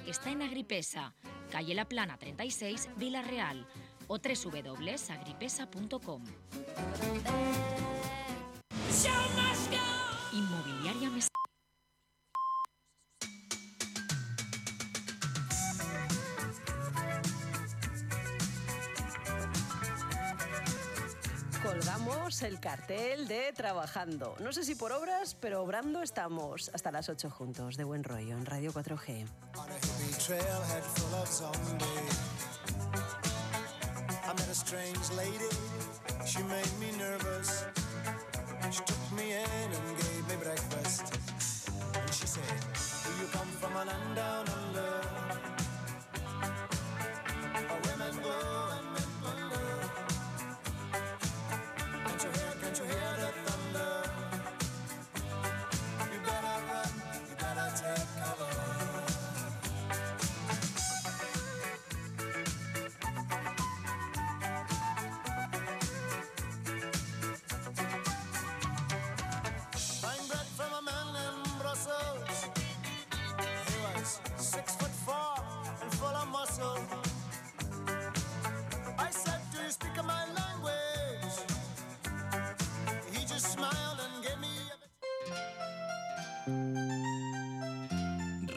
está en Agripesa, calle La Plana 36, Vila-real, o www.agripesa.com. Inmobiliaria Mestalla. Colgamos el cartel de trabajando. No sé si por obras, pero obrando estamos hasta las 8 juntos. De buen rollo en Radio 4G.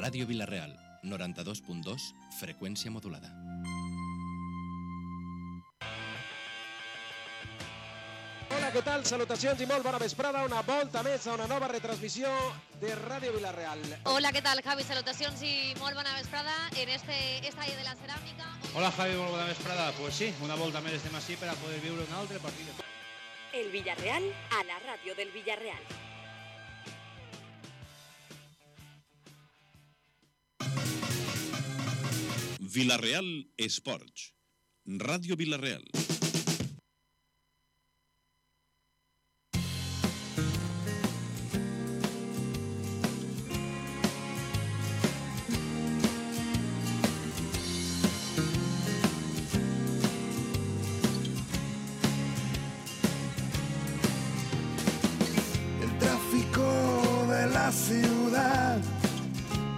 Ràdio Vila-real, 92.2, freqüència modulada. Hola, què tal? Salutacions i molt bona vesprada. Una volta més a una nova retransmissió de Ràdio Vila-real. Hola, què tal, Javi? Salutacions i molt bona vesprada en este estadi de la ceràmica. Hola, Javi, molt bona vesprada. Pues sí, una volta més estem així per a poder viure un altre partit. El Villarreal a la ràdio del Villarreal. Vila-real Esports. Ràdio Vila-real. El tráfico de la ciudad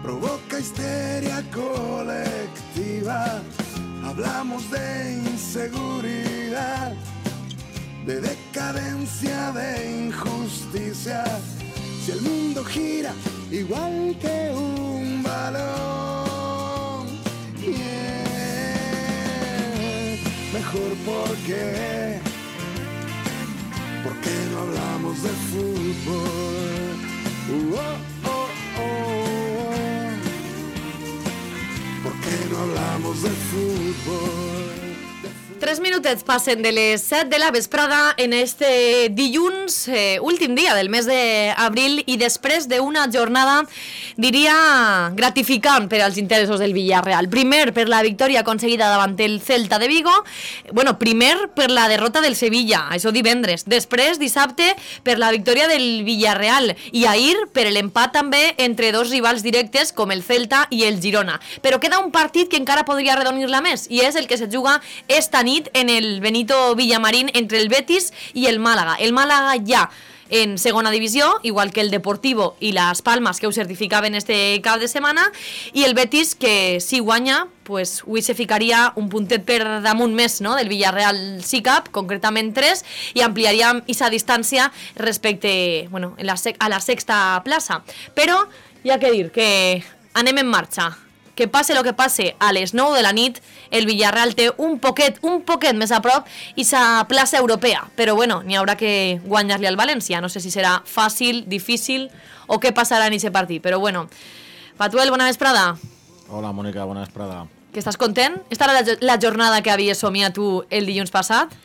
provoca histeria colectiva. Hablamos de inseguridad, de decadencia, de injusticia. Si el mundo gira igual que un balón, mejor porque no hablamos de fútbol. ¿Por qué no hablamos de fútbol? 3 minutets passen de les 7 de la vesprada en este dilluns, últim dia del mes d'abril, i després d'una jornada, diria, gratificant per als interessos del Villarreal. Primer, per la victòria aconseguida davant el Celta de Vigo. Bueno, primer, per la derrota del Sevilla, això divendres. Després, dissabte, per la victòria del Villarreal. I ahir, per l'empat també entre dos rivals directes com el Celta i el Girona. Però queda un partit que encara podria arredonir-la més, i és el que se juga esta nit en el Benito Villamarín entre el Betis i el Màlaga. El Màlaga ja en segona divisió, igual que el Deportivo i les Palmes, que ho certificaven este cap de setmana, i el Betis, que si guanya, pues, avui se ficaria un puntet per damunt més, no?, del Villarreal SICAP, concretament 3, i ampliaríem aquesta distància respecte, bueno, a la sexta plaça. Però hi ha que dir que anem en marxa. Que passe el que passe, a les 9 de la nit el Villarreal té un poquet més a prop i sa plaça europea, però bueno, n'hi haurà que guanyar-li al València. No sé si serà fàcil, difícil o què passarà en aquest partit, però bueno. Patuel, bona vesprada. Hola, Mònica, bona vesprada. Que estàs content? Esta era la jornada que havies somiat tu el dilluns passat?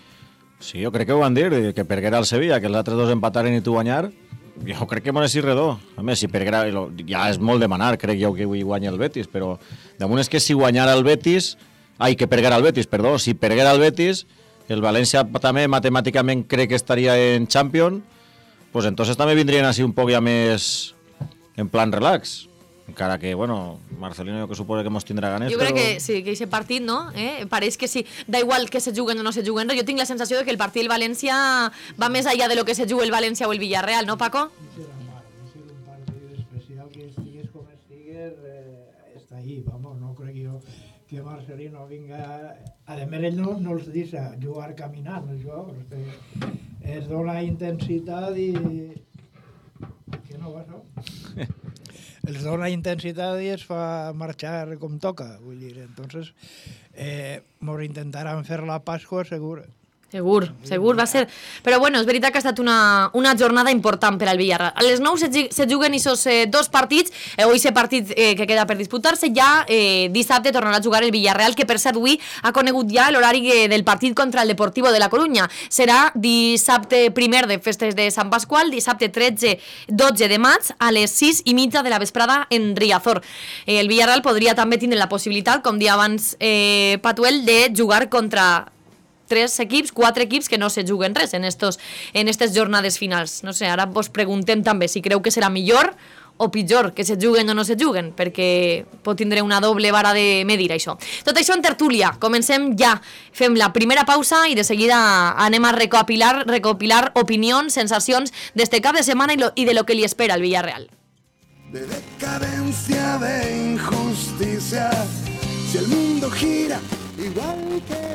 Sí, jo crec que ho van dir, que perguera el Sevilla, que els altres dos empataren i tu guanyar. Jo crec que m'ho és redó. A més, si perguera, ja és molt demanar, crec jo que avui guanya el Betis, però damunt és que si guanyara el Betis, que perguera el Betis, perdó, si perguera el Betis, el València també matemàticament crec que estaria en Champions, pues entonces també vindrien així un poc ja més en plan relax. Encara que, bueno, Marcelino jo que suposo que mos tindrà ganes, jo crec que sí, que aquest partit, no? Pareix que sí, da igual que se juguen o no se juguen, jo tinc la sensació de que el partit del València va més allà de lo que se juga el València o el Villarreal, no, Paco? Serà un partit especial que estigues com estigues, està ahí, vamos, no crec jo que Marcelino vinga... A més, ell no els deixa jugar caminant, això, es dona intensitat i... Que no va, no? Els dona intensitat i es fa marxar com toca, vull dir, entonces mos intentaran fer la Pasqua segur. Segur va ser. Però bueno, és veritat que ha estat una jornada important per al Villarreal. A les 9 se juguen aquests dos partits, aquest partit que queda per disputar-se, ja dissabte tornarà a jugar el Villarreal, que per cert avui ha conegut ja l'horari del partit contra el Deportivo de la Coruña. Serà dissabte 1 de festes de Sant Pasqual, dissabte 12 de maig, a les 6:30 de la vesprada en Riazor. El Villarreal podria també tindre la possibilitat, com dia abans Patuel, de jugar contra 4 equips que no se juguen res en estes jornades finals. No sé, ara vos preguntem també si creu que serà millor o pitjor que se juguen o no se juguen, perquè pot tindre una doble vara de medir això. Tot això en tertúlia. Comencem ja. Fem la primera pausa i de seguida anem a recopilar opinions, sensacions d'este cap de setmana i de lo que li espera al Villarreal. De decadencia, de injusticia, si el mundo gira igual que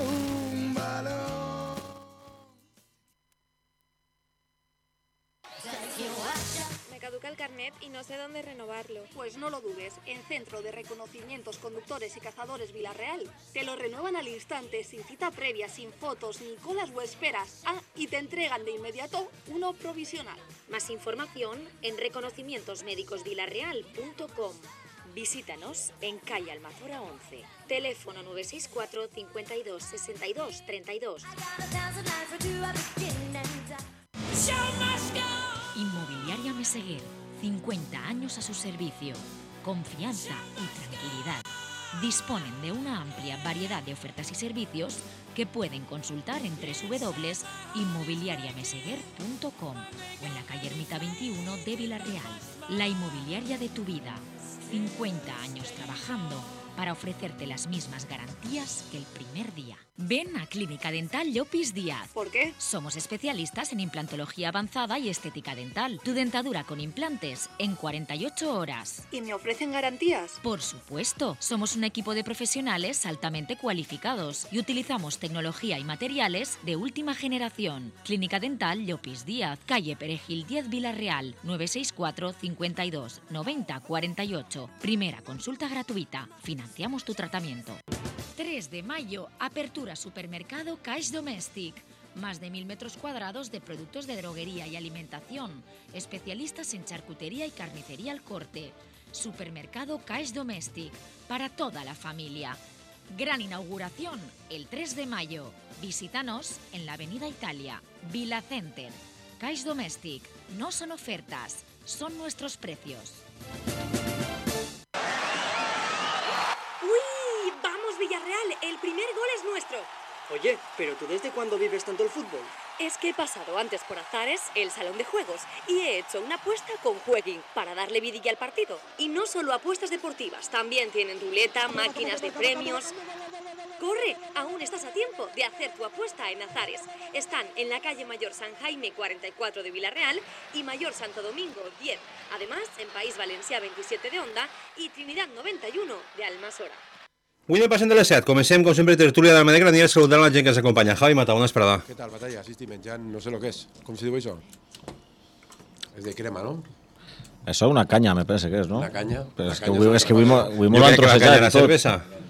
el carnet y no sé dónde renovarlo. Pues no lo dudes, en Centro de Reconocimientos Conductores y Cazadores Villarreal te lo renuevan al instante, sin cita previa, sin fotos, ni colas o esperas. Y te entregan de inmediato uno provisional. Más información en reconocimientosmédicosvillarreal.com. Visítanos en calle Almazora 11. Teléfono 964 52 62 32. Inmobiliaria Meseguer, 50 años a su servicio, confianza y tranquilidad. Disponen de una amplia variedad de ofertas y servicios que pueden consultar en www.inmobiliariameseguer.com o en la calle Ermita 21 de Villarreal. La inmobiliaria de tu vida, 50 años trabajando para ofrecerte las mismas garantías que el primer día. Ven a Clínica Dental Llopis Díaz. ¿Por qué? Somos especialistas en implantología avanzada y estética dental. Tu dentadura con implantes en 48 horas. ¿Y me ofrecen garantías? Por supuesto. Somos un equipo de profesionales altamente cualificados y utilizamos tecnología y materiales de última generación. Clínica Dental Llopis Díaz, calle Perejil 10 Villarreal, 964 52 90 48. Primera consulta gratuita. Financiamos tu tratamiento. 3 de mayo, apertura supermercado Caix Domèstic. Más de 1000 metros cuadrados de productos de droguería y alimentación. Especialistas en charcutería y carnicería al corte. Supermercado Caix Domèstic. Para toda la familia. Gran inauguración el 3 de mayo. Visítanos en la Avenida Italia, Vila Center. Caix Domèstic. No son ofertas, son nuestros precios. Villarreal, el primer gol es nuestro. Oye, pero ¿tú desde cuándo vives tanto el fútbol? Es que he pasado antes por Azares, el salón de juegos, y he hecho una apuesta con Jueguin para darle vidilla al partido. Y no solo apuestas deportivas, también tienen ruleta, máquinas de premios. ¡Corre! Aún estás a tiempo de hacer tu apuesta en Azares. Están en la calle Mayor San Jaime 44 de Villarreal y Mayor Santo Domingo 10. Además, en País Valencià 27 de Onda y Trinidad 91 de Almassora. Avui anem passant de les 7. Comencem, com sempre, tertúlia del Medec Granier, saludant la gent que ens acompanya. Javi Mata, bona esperada. ¿Qué tal, Batalla? Sí, estic menjant, no sé lo que es. ¿Cómo se diu això? Es de crema, ¿no? Eso una caña, me parece que és, no? Una caña. Però és que avui molt han trossejat tot.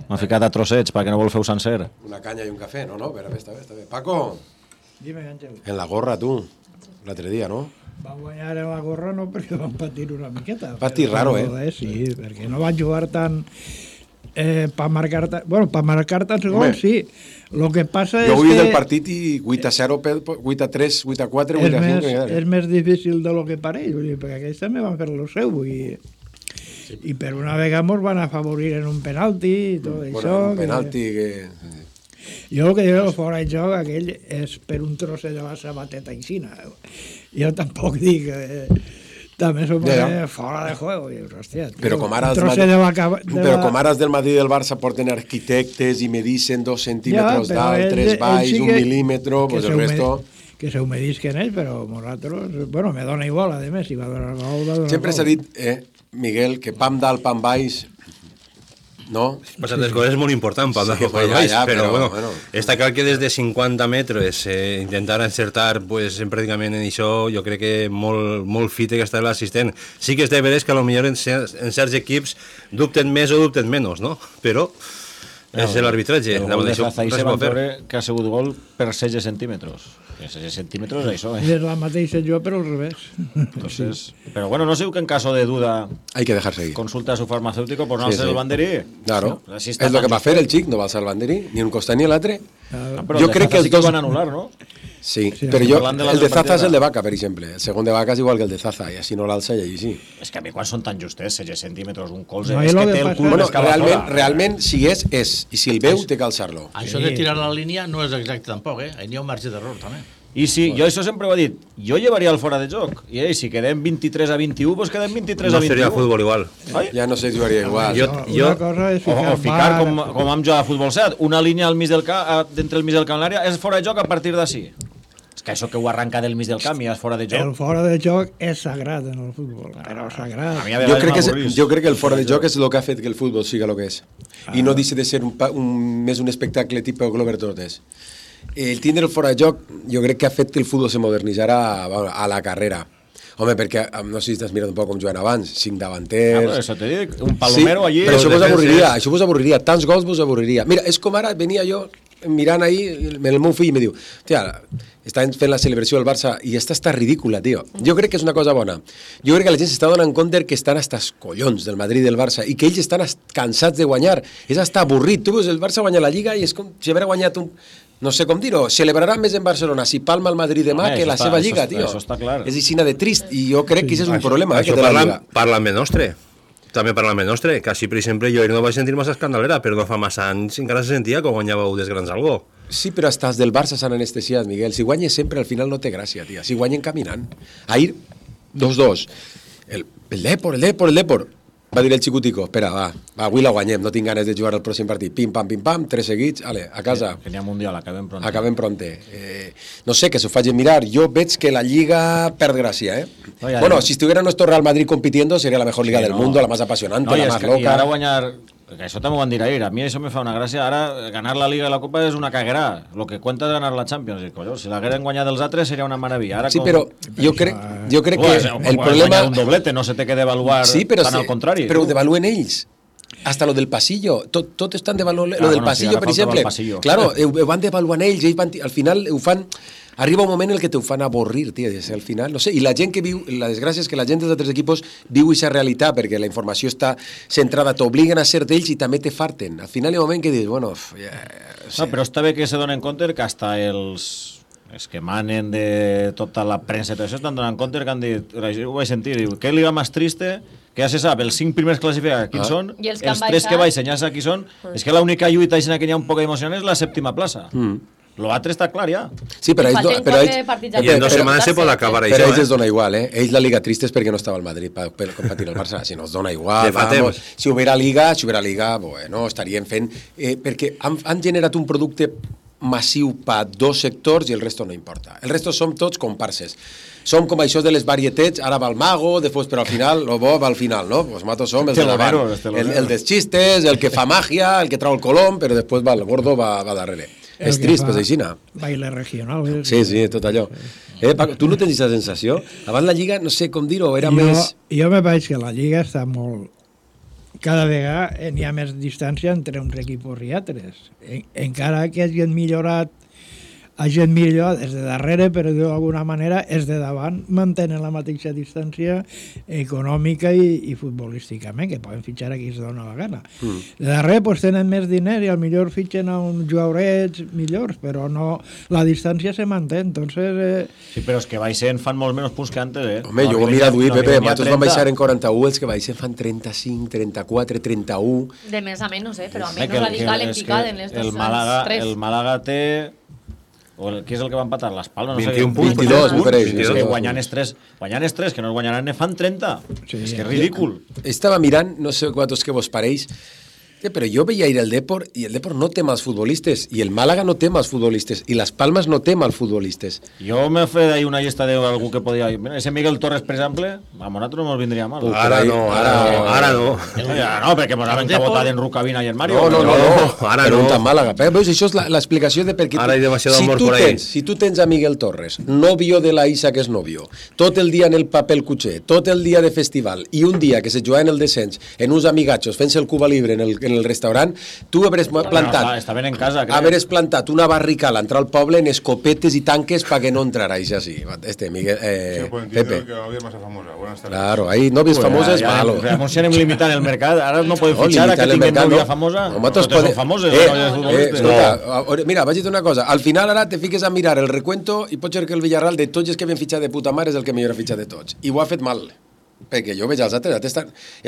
M'ha ficat a trossets perquè no vol fer-ho sencer. Una caña y un café, no, no, pero está bé. Paco. Dime, Ángel. En la gorra, tu. L'altre dia, no? Va guanyar en la gorra no perquè van patir una miqueta. Patir raro, Sí, perquè no van jugar tan... para marcar tan gols, sí. Lo que passa és que... Jo vull del partit i 8-0, 8-3, 8-4, 8-5... És més difícil de lo que pareix, perquè aquells també van fer lo seu i per una vegada mos van afavorir en un penalti i tot això. Un penalti que... Jo el que dic fora de joc aquell és per un trosset de la sabateta aixina. Jo tampoc dic... També s'ho posa fora de juego. Hòstia, però com ara els del Madrid i del Barça porten arquitectes i medicen 2 centímetres d'alt, 3 baix, 1 milímetre, pues el resto... Que se humedisquen ells, però nosaltres... Bueno, me dona igual, a més, si va donar gol... Sempre s'ha dit, Miguel, que pam dalt, pam baix, no? Passar les coses és molt important per sí, però bueno, està clar que des de 50 metres intentar encertar pues, pràcticament en això, jo crec que molt fit que està l'assistent. Sí que és de veres que potser en certs equips dubten més o dubten menys, no? Però és l'arbitratge. El gol de Zaza se va veure que ha sigut gol per 16 centímetres. 16 centímetres, això, És la mateixa jo, però al revés. Entonces, pero bueno, no sé que en caso de duda hay que dejar seguir. Consulta a su farmacéutico por no alzar el banderí. Claro, es lo que va a fer el xic, no va alzar el banderí, ni un costat ni l'altre. Jo crec que els dos van anul·lar, no? Sí, però jo, el de Zaza és el de Vaca, per exemple. El segon de Vaca és igual que el de Zaza, i així no l'alça i allí sí. És que a mi quan són tan justets, 16 centímetres, un colze, no, és que té el cul bueno, realment, si és, i si el veu, té que alçar-lo. Això de tirar la línia no és exacte tampoc, Ahí n'hi ha un marge d'error, també. I si, jo això sempre ho he dit, jo llevaria el fora de joc, i si quedem 23 a 21, doncs quedem 23 a 21. No seria futbol igual. Ja no sé, jugaria igual. Una cosa és ficar com vam jugar a futbol 7, una línia al mig del camp, d'entre el mig del camp i l'àrea, és fora de joc a partir d'ací. És que això que ho arranca del mig del camp i és fora de joc. El fora de joc és sagrat en el futbol, però sagrat. Jo crec que el fora de joc és el que ha fet que el futbol siga el que és. I no deixa de ser més un espectacle tipus Glover Torres. El tindre el fora de joc jo crec que ha fet que el futbol se modernitzara a la carrera. Home, perquè no sé si t'has mirat un poc com juguen abans, 5 davanters... Això t'he dit, un palomero allí... Però això vos avorriria, tants gols vos avorriria. Mira, és com ara venia jo mirant ahí, el meu fill me diu, tia, estan fent la celebració del Barça i esta està ridícula, tio. Jo crec que és una cosa bona. Jo crec que la gent s'està donant compte que estan hasta els collons del Madrid i del Barça i que ells estan cansats de guanyar. És hasta avorrit. Tu veus el Barça guanyar la Lliga i és com si hagués guanyat un... No sé com dir-ho, celebrarà més en Barcelona si palma el Madrid demà que la seva Lliga, tio. Això està clar. És aixina de trist i jo crec que això és un problema. Això parlant de nostre. També parlant de nostre, que així, per exemple, jo no vaig sentir massa escandalera, però no fa massa anys encara se sentia que guanyàveu des grans algo. Sí, però hasta els del Barça s'han anestesiat, Miguel. Si guanyes sempre, al final no té gràcia, tia. Si guanyen caminant. Ahir, 2-2. El Depor. Va dir el xicutico, espera, va, avui la guanyem, no tinc ganes de jugar el pròxim partit. Pim, pam, 3 seguits, a casa. Que n'hi ha mundial, acabem pronte. No sé, que s'ho facin mirar. Jo veig que la Lliga perd gràcia, Bueno, si estuviera nuestro Real Madrid compitiendo, sería la mejor liga del mundo, la más apasionante, la más loca. I ara guanyar... Que això també ho van dir ahir, a mi això me fa una gràcia, ara ganar la Liga i la Copa és una caguera, lo que cuenta és ganar la Champions, i, collons, si l'hagueren guanyat els altres seria una meravella. Ara sí, però jo crec que el problema... un doblete, no se té que devaluar tan al contrari. Però ho devaluen ells. Hasta lo del pasillo, tot estan devaluant, lo del pasillo, per exemple. Claro, ho van devaluant ells, al final ho fan... Arriba un moment en el que te ho fan avorrir, tio, al final, no sé, i la gent que viu, la desgràcia és que la gent dels altres equipos viu aquesta realitat, perquè la informació està centrada, t'obliguen a ser d'ells i també te farten. Al final hi ha un moment que dius, bueno... No, però està bé que se donen compte que hasta els que manen de tota la premsa i tot això estan donant compte que han dit, ho vaig sentir, diu, què liga més triste, que ja se sap, els 5 primers classificats quins són, els 3 que baixen ja sap qui són, és que l'única lluita que hi ha un poc emocionant és la 7ª plaça. Lo altre està clar ja. Sí, però ells... I en 2 setmanes se pot acabar això. Però ells es dona igual, Ells la Liga trista és perquè no estava al Madrid per competir el Barça. Si no es dona igual, vamos. Si hubiera Liga, bueno, estarien fent... Perquè han generat un producte massiu per 2 sectors i el resto no importa. El resto som tots comparses. Som com això de les varietets, ara va el mago, després, però al final, lo bo va al final, no? Pues matos som els de davant. El dels xistes, el que fa màgia, el que trau el colom, però després va el gordo, va darrere. És trist, pues aixina. Baile regional. Sí, tot allò. Tu no tens aquesta sensació? Abans la Lliga, no sé com dir-ho, era més... Jo me veig que la Lliga està molt... Cada vegada n'hi ha més distància entre uns equips i altres. Encara que hagin millorat des de darrere, però d'alguna manera els de davant mantenen la mateixa distància econòmica i futbolísticament, que poden fitxar a qui es dona la gana. De darrere pues, tenen més diner i al millor fitxen a uns jugadors millors, però no, la distància se manté, entonces... Sí, però els que baixen fan molt menys punts que antes, Home, jo ho mira d'avui, Pepe, nosaltres vam baixar en 41, els que baixen fan 35, 34, 31... De més a menys, però a menys radical en picada en les dos tres. El Màlaga té... Qui és el que va empatar? Les Palmes, no 21 punts, 22, me pareix. És que guanyant els 3, que no es guanyaran, ne fan 30. És que és ridícul. Estava mirant, no sé quantos que vos pareix, Pero jo veia ir al Depor i el Depor no té mals futbolistes i el Màlaga no té mals futbolistes i les Palmes no té mals futbolistes. Jo m'he fet ahí una llista d'algú que podia... Mira, ese Miguel Torres, per exemple, a nosaltres no ens vindria mal. Ara no. No, perquè ens han cabotat en Rucabina i en Mario. No, ara no. Però Màlaga. Veus, això és l'explicació de per què... Ara hi ha demasiado amor por ahí. Si tu tens a Miguel Torres, novio de la Isa que és novio, tot el dia en el papel cuché, tot el dia de festival i un dia que se juga en el descens en uns amigatxos fent-se el Cuba Libre en el restaurant, tu haveres plantat... Està ben en casa, crec. Haveres plantat una barrica a l'entrar al poble en escopetes i tanques para que no entrara, y así. Miguel... Pepe. Que novia más famosa. Buenas tardes. Claro, ahí novias famosas, malo. Hemos sido limitar el mercado, ahora no podem fitxar a que tinguin novia famosa. Nosaltres són famoses. Mira, vaig dir una cosa. Al final ara te fiques a mirar el recuento i pot ser que el Villarreal de tots els que havien fitxat de puta mare és el que millor ha fitxat de tots. I ho ha fet mal. Perquè jo veig els altres,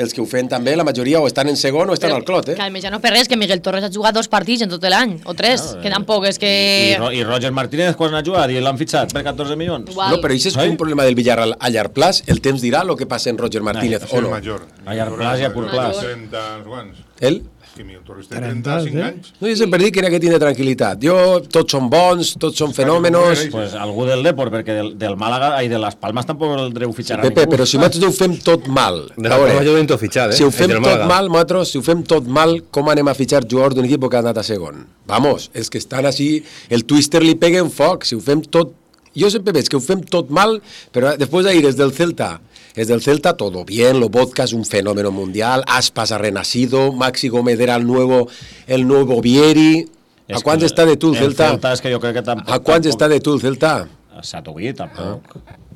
els que ho feien també, la majoria o estan en segon o estan al clot, Que almenys ja no per res, que Miguel Torres ha jugat 2 partits en tot l'any, o 3, que tampoc és que... I Roger Martínez quan ha jugat i l'han fitxat per 14 milions. No, però això és un problema del Villarreal a llarg plaç, el temps dirà el que passa en Roger Martínez o no. A llarg plaç i a curt plaç. 30 quants. Ell? Que Miguel Torres té 35 anys. No, jo sempre dic que n'hi ha que tindre tranquil·litat. Tots són bons, tots són fenòmenos... Pues algú del Depor, perquè del Màlaga i de les Palmes tampoc el dreu fitxar a ningú. Pepe, però si nosaltres ho fem tot mal... Si ho fem tot mal, nosaltres, si ho fem tot mal, com anem a fitxar jugadors d'un equip que ha anat a segon? Vamos, els que estan així, el twister li pega en foc, si ho fem tot... Jo sempre veig que ho fem tot mal, però després d'ahir és del Celta... Es del Celta todo bien, lo Vodka es un fenómeno mundial, Aspas ha renacido, Maxi Gómez era el nuevo Vieri. ¿A cuánto está de tú el Celta? Celta es que yo creo que tampoc... ¿A cuánto está de tú el Celta? Satoguí, tampoc.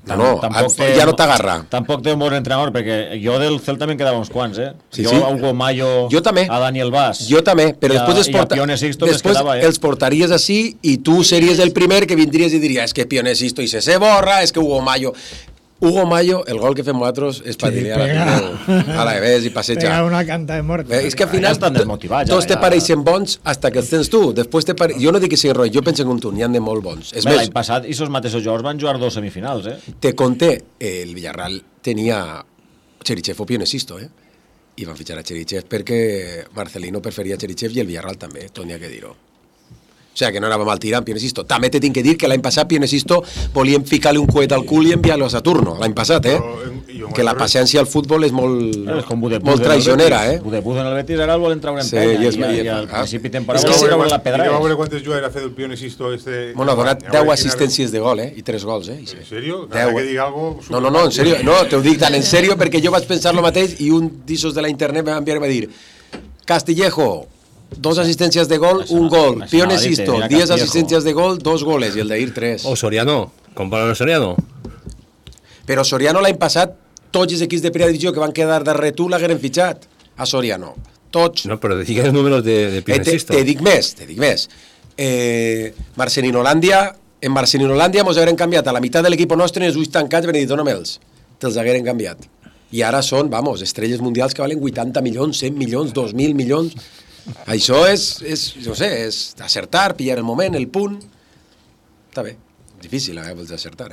No, ja no t'agarra. Tampoc té un bon entrenador, perquè jo del Celta me'n quedava uns quants, Sí, jo a Hugo Mayo, a Daniel Vaz. Jo també, però després els portaries així i tu series el primer que vindries i diries és que Pionesisto i se borra, és que Hugo Mayo, el gol que fem nosaltres és per dir a la vez i passejar. Pega una canta de mort. És que al final tots te pareixen bons fins que els tens tu. Jo no dic que sigui roig, jo penso com tu, n'hi ha de molt bons. L'any passat, i els mateixos jugadors van jugar 2 semifinals. Te conté, el Villarreal tenia Cherichev o Pionesisto, i van fitxar a Cherichev perquè Marcelino preferia Cherichev i el Villarreal també, tot n'hi ha que dir-ho. O sea, que no anava mal tirant Pionesisto. També te tinc que dir que l'any passat Pionesisto volien ficar-li un coet al cul i enviar-lo a Saturno. L'any passat, que la paciència al futbol és molt traicionera, Budepuz en el Betis ara el volen treure en penya i al principi temporada volen treure la pedra. I va veure quantes jugades ha fet el Pionesisto Bueno, ha donat 10 assistències de gol, i 3 gols, ¿En serio? Cada que diga algo... No, en serio. No, te ho dic tan en serio perquè jo vaig pensar lo mateix i un d'issos de la internet me va enviar i va dir Castillejo, 2 assistències de gol, un gol. Pionesisto, 10 assistències de gol, 2 goles, i el d'ahir 3. O Soriano, compara amb Soriano. Però Soriano l'any passat, tots els equips de primera divisió que van quedar darrere tu l'hagueren fitxat a Soriano. Tots. No, però digues els números de Pionesisto. Te dic més. En Marcelinolandia mos hagueren canviat a la meitat de l'equip nostre i els ulls tancats van dir, dóna-me'ls. Te'ls hagueren canviat. I ara són, estrelles mundials que valen 80 milions, 100 milions, 2.000 milions... Això és acertar, pillar el moment, el punt. Està bé, difícil vols acertar,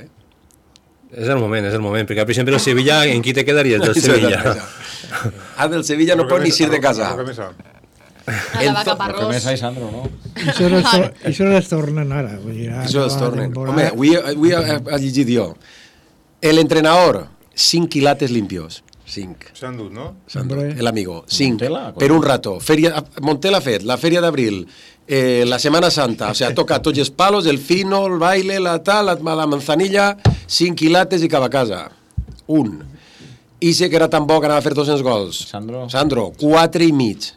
És el moment, perquè al principi el Sevilla, en qui te quedaries del Sevilla? Del Sevilla no pot ni ir de casa. A la vaca parrós. Que més a Sandro, no? Això les tornen ara. Això les tornen. Home, avui ha llegit jo. El entrenador, 5 quilates limpios. 5. S'han dut, no? El amigo. 5. Per un rato. Montela ha fet la Feria d'Abril, la Semana Santa, o sea, toca tots els palos, el fino, el baile, la manzanilla, 5 quilates i cap a casa. 1. Ise, que era tan bo que anava a fer 200 gols. Sandro, 4 i mig.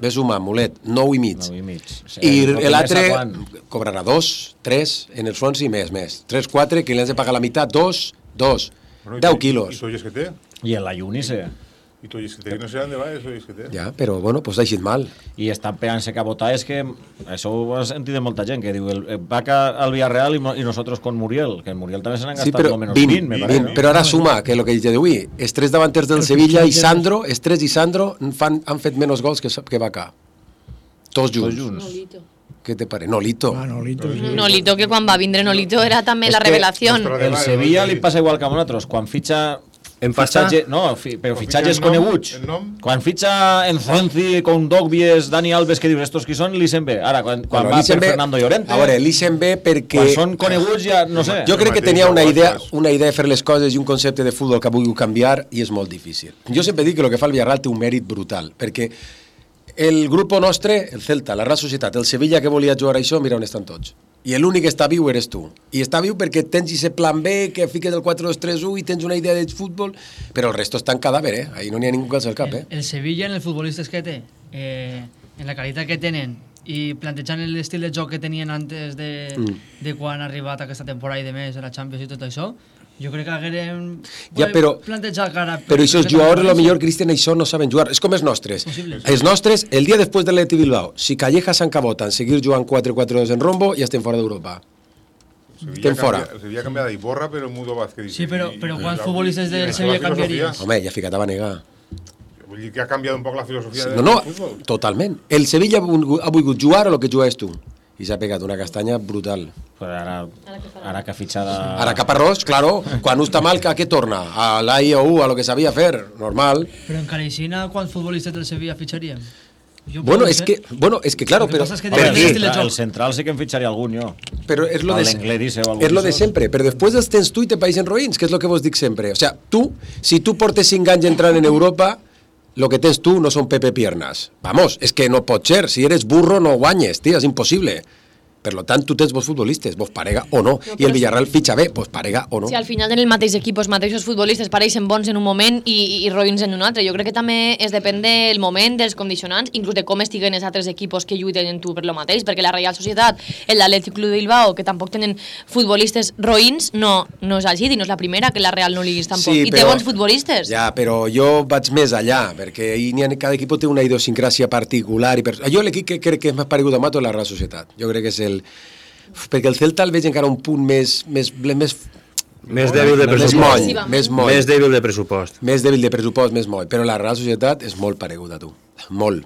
Ves humà, mulet, 9 i mig. I l'altre cobrarà 2, 3, en els fons i més. 3, 4, que li has de pagar la meitat, 2, 10 quilos. I tolles que té? I en la Junice. I tolles que té, que no sé on va, eso és que té. Ja, però bueno, pues ha eixit mal. I estan pegant-se cabotar, és que això ho has sentit de molta gent, que diu, va al Villarreal i nosotros con Muriel, que el Muriel també se n'han gastat lo menos 20, me parece. Però ara suma, que lo que dic d'avui, els 3 davanters del Sevilla i Sandro, els 3 i Sandro han fet menys gols que Vaca. Tots junts. ¿Qué te parece? Nolito. Nolito, que quan va vindre Nolito era també la revelació. El Sevilla li passa igual que a nosaltres. Quan fitxa En pasta? Però fitxatges coneguts. Quan fitxa Enzonzi, Kondogbies, Dani Alves, que dius, estos qui són, l'Isenbe. Ara, quan va per Fernando Llorente... A veure, l'Isenbe perquè... Quan són coneguts ja, no sé. Jo crec que tenia una idea de fer les coses i un concepte de futbol que vulgui canviar i és molt difícil. Jo sempre dic que el que fa el Villarreal té un mèrit brutal, perquè el grup nostre, el Celta, la Real Societat, el Sevilla que volia jugar a això, mira on estan tots. I l'únic que està viu eres tu. I està viu perquè tens aquest plan B, que fiques el 4-2-3-1 i tens una idea de futbol, però el resto està en cadàver, Ahí no n'hi ha ningú que alça el cap, El Sevilla, en els futbolistes que té, en la qualitat que tenen, i plantejant l'estil de joc que tenien antes de quan ha arribat aquesta temporada i de més, a la Champions i tot això, jo crec que haguérem plantejat cara... Però aquests jugadors, millor, Cristian, això no saben jugar. És com els nostres. Els nostres, el dia després de l'Atleti Bilbao, si Calleja s'encabota en seguir jugant 4-4-2 en rombo, ja estem fora d'Europa. Estem fora. Sevilla ha canviat d'Iborra, però Mudo Vázquez... Sí, però quants futbolistes del Sevilla canviaries? Home, ja ficat a Banegar. Vull dir que ha canviat un poc la filosofia del futbol. Totalment. El Sevilla ha volgut jugar a lo que jugaves tu. I s'ha pegat una castanya brutal. Ara que ha fitxat... Ara Caparrós, claro, quan està mal, a què torna? A l'AIOU, a lo que sabia fer, normal. Però en Caleixina, quants futbolistes del Sevilla fitxaríem? Bueno, és que claro, però... El central sí que em fitxaria algun, jo. Però és lo de sempre, però després els tens tu i te paeixen roïns, que és lo que vos dic sempre. O sea, tu, si tu portes 5 anys entrant en Europa, lo que tens tu no són Pepe Piernas. Vamos, és que no pot ser. Si eres burro no guanyes, tio, és impossible. Per tant, tu tens vos futbolistes, vos parega o no. I el Villarreal fitxa bé, vos parega o no. Si al final en el mateix equip els mateixos futbolistes pareixen bons en un moment i roïns en un altre. Jo crec que també es depèn del moment, dels condicionants, inclús de com estiguen els altres equipos que lluiten en tu per lo mateix, perquè la Real Societat, l'Atlètic Club de Bilbao, que tampoc tenen futbolistes roïns, no és així, i no és la primera que la Real no liguis tampoc. I té bons futbolistes. Ja, però jo vaig més allà, perquè cada equip té una idiosincràsia particular. Jo l'equip que crec que és més paregut a Mato és la Real Societat. Jo crec que és perquè el Celta el veig encara un punt més dèbil de pressupost. Més dèbil de pressupost. Més dèbil de pressupost, més moll. Però la Real Societat és molt pareguda a tu. Molt.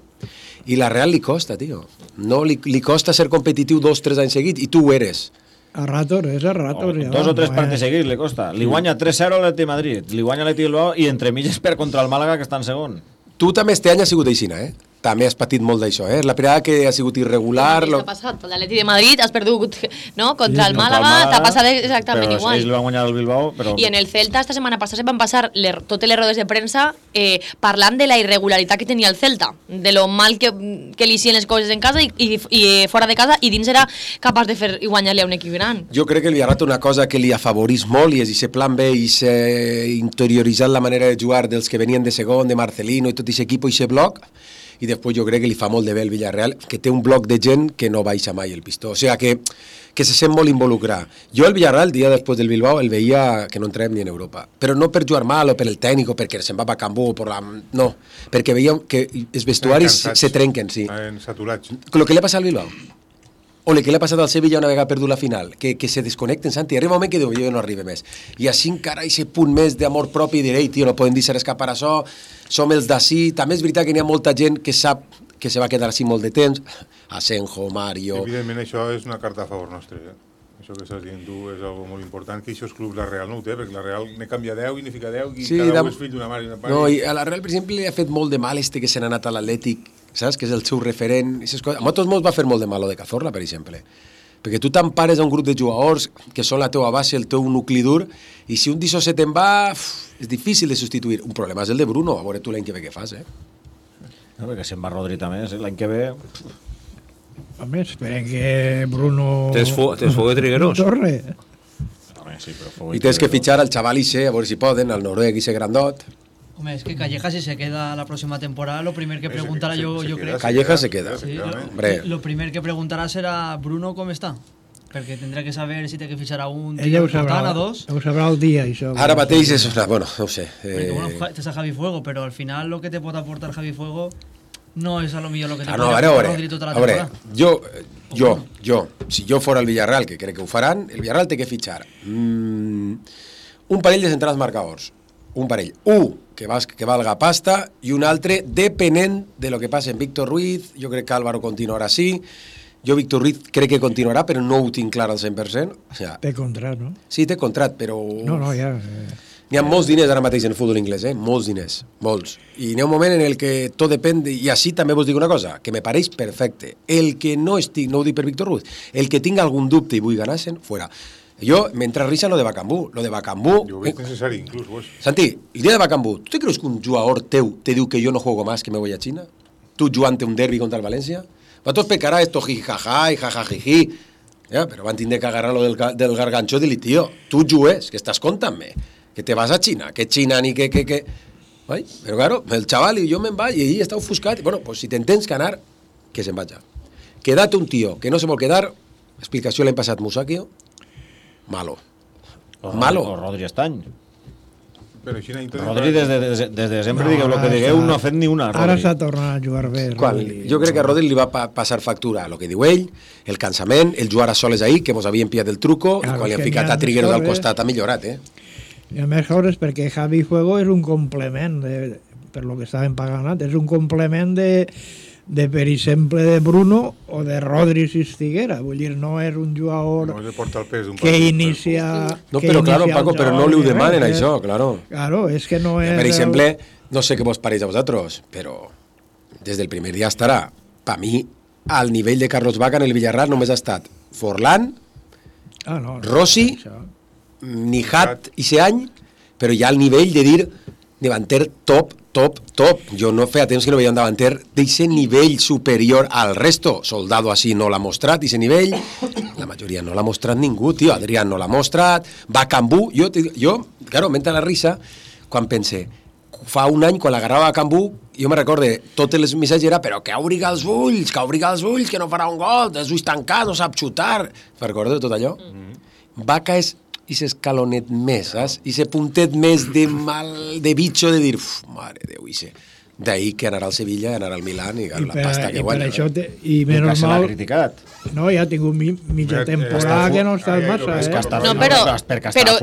I la Real li costa, tio. No, li costa ser competitiu 2-3 anys seguits, i tu ho eres. A ratos, és a ratos. 2 o 3 partits seguits li costa. Li guanya 3-0 a l'Atleti Madrid, li guanya l'Atleti Bilbao i entremig és per contra el Màlaga, que està en segon. Tu també este any has sigut aixina, També has patit molt d'això, La primera que ha sigut irregular... Què t'ha passat? L'Atleti de Madrid has perdut, no? Contra el Màlaga, t'ha passat exactament igual. Però ells li van guanyar el Bilbao, però... I en el Celta, esta setmana passada, van passar totes les rodes de premsa parlant de la irregularitat que tenia el Celta, de lo mal que li hicien les coses en casa i fora de casa, i dins era capaç de fer i guanyar-li a un equip gran. Jo crec que el Villarreal té una cosa que li afavorís molt, i és aquest plan B, i interioritzat la manera de jugar dels que venien de segon, de Marcelino i tot aquest equip i aquest bloc, i després jo crec que li fa molt de bé el Villarreal, que té un bloc de gent que no baixa mai el pistó, o sigui que se sent molt involucrar. Jo el Villarreal, el dia després del Bilbao, el veia que no entràvem ni en Europa, però no per jugar mal o per el tècnic o perquè se'n va a Cambó, no, perquè veiem que els vestuaris se trenquen, sí. Saturats. El que li ha passat al Bilbao, o el que li ha passat al Sevilla una vegada perdut la final, que se desconnecten, Santi, arriba un moment que diu, jo no arriba més. I així encara aquest punt més d'amor propi i diré, tio, no podem deixar escapar això, som els d'ací. També és veritat que n'hi ha molta gent que sap que se va quedar així molt de temps, Asenjo, Mario... Evidentment això és una carta a favor nostre, Això que estàs dient tu és algo molt important, que aquests clubs la Real no ho té, perquè la Real ne canvia 10 i ne fica 10 i sí, cada un és fill d'una mare i una pare. No, i a la Real, per exemple, li ha fet molt de mal que se n'ha anat a l'Atlètic, saps? Que és el seu referent. A molts molts va fer molt de mal de Cazorla, per exemple. Perquè tu t'empares a un grup de jugadors que són la teua base, el teu nucli dur, i si un d'això se te'n va, és difícil de substituir. Un problema és el de Bruno, a veure tu l'any que ve què fas, No, perquè se'n va Rodri també, l'any que ve... Home, esperen que Bruno... Tens foc de Trigueros? Torre. Sí, però i tens que fitxar al xaval Ise, a veure si poden, al noruec Ise grandot. Home, es que Calleja si se queda la próxima temporada, lo primer que preguntarà yo creo... Calleja se queda. Sí, lo primer que preguntarà serà Bruno com està. Perquè tindrà que saber si té que fitxar a un dia important, a dos. Ho sabrà el dia, això. Ara mateix és... Bueno, no ho sé. Perquè, bueno, tens a Javi Fuego, però al final lo que te pot aportar Javi Fuego no és a lo millor lo que te pot aportar Rodri tota la temporada. Jo, si jo fora el Villarreal, que crec que ho faran, el Villarreal té que fitxar un parell de centrals marcadors. Un parell. Que valga pasta, i un altre, depenent de lo que passa en Víctor Ruiz. Jo crec que Álvaro continuarà així. Jo, Víctor Ruiz, crec que continuarà, però no ho tinc clar al 100%. O sea, té contrat, no? Sí, té contrat, però... No, ja... N'hi ha molts diners ara mateix en el futbol inglès, molts diners, molts. I n'hi ha un moment en el que tot depèn, i així també vos dic una cosa, que me pareix perfecte. El que no estic, no ho dic per Víctor Ruiz, el que tinga algun dubte i vull ganar-se'n, fuera. Jo m'entra risa lo de Bakambu. Lo de Bakambu... Jo ho veig necessari, inclús, vos. Santi, el dia de Bakambu, ¿tú te crees que un jugador teu te diu que yo no juego más, que me voy a China? Tú jugant un derbi contra el València? Vosaltres pecarà esto jijaja i jajajiji. Ja, però van tindre que agarrar lo del gargancho i dir-li, tio, tu jugues, que estàs contant-me, que te vas a China, que China ni que... Ai, però claro, el chaval i jo me'n vaig i ell està ofuscat. Bueno, pues si t'entens que anar, que se'n vaja. Queda't un tio que no se vol quedar, explicació l'any passat Musakio, malo. Malo. O Rodri Estany. Però així Rodri, des de sempre digueu el que digueu, no ha fet ni una. Ara s'ha tornat a jugar bé. Jo crec que a Rodri li va passar factura el que diu ell, el cansament, el jugar a soles ahir, que mos havien pillat el truco, i quan li han ficat a Trigueros al costat ha millorat, I a més hores perquè Javi Fuego és un complement, per lo que estaven pagant antes, és un complement de per exemple, de Bruno o de Rodri si estiguera. Vull dir, no és un jugador que inicia... No, però claro, Paco, però no li ho demanen això, claro. Claro, és que no és... Per exemple, no sé què vos pareix a vosaltres, però des del primer dia estarà. Per mi, al nivell de Carlos Vaca en el Villarreal només ha estat Forlán, Rossi, Nijat i Seany, però ja al nivell de dir davanter top. Jo no feia temps que no veia un davanter d'aquest nivell superior al resto. Soldado així no l'ha mostrat, d'aquest nivell. La majoria no l'ha mostrat ningú, tio. Adrián no l'ha mostrat. Bakambu, jo claro, m'entra la risa quan pense, fa un any, quan l'agarrava Bakambu, jo me recorde, totes les missatges era, però que obriga els ulls, que no farà un gol, els ulls tancats, no sap xutar. Recordo tot allò? Vaca és i s'escalonet més, saps? I se puntet més de bitxo de dir, mare Déu, d'ahir que anarà al Sevilla, anarà al Milan i la pasta que guanya. I menys mal... No, ja ha tingut mitja temporada que no està massa, No, però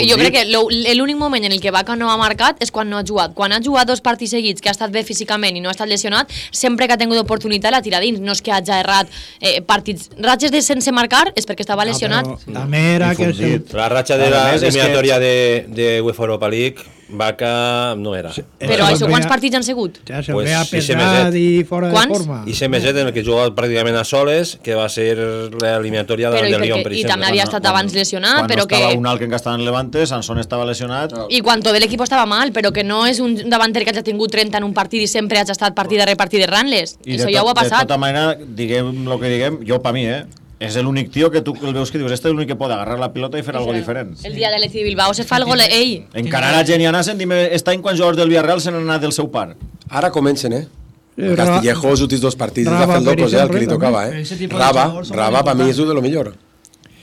jo crec que l'únic moment en el que Vaca no ha marcat és quan no ha jugat. Quan ha jugat 2 partits seguits, que ha estat bé físicament i no ha estat lesionat, sempre que ha tingut oportunitat l'ha tirat dins. No és que hagi errat partits. Ratxes de sense marcar és perquè estava lesionat. També era que... La ratxa de la eliminatòria de UEFA Europa League, Vaca no era. Però això quants partits han sigut? Ja se veia pesat i fora de forma. I se meset en el que jugava pràcticament a soles, que va ser l'eliminatòria del Lyon, per exemple. I també havia estat abans lesionat, però que... Quan no estava un alt que estava en Levante, Sansón estava lesionat. I quan tot l'equip estava mal, però que no és un davanter que hagi tingut 30 en un partit i sempre hagi estat partit de repartir de Ranles. Això ja ho ha passat. De tota manera, diguem el que diguem, jo per mi, és l'únic tio que tu el veus que dius, este és l'únic que pot agarrar la pilota i fer algo diferent. El dia de l'Atleti de Bilbao se fa el gol ell. Encarar a Geni Anasen, dime, està en quan jugadors del Villarreal se n'han anat del seu par. Ara comencen, Castillejo, els últims 2 partits, ha fet locos, el que li tocava, Raba, per mi és un de lo millor.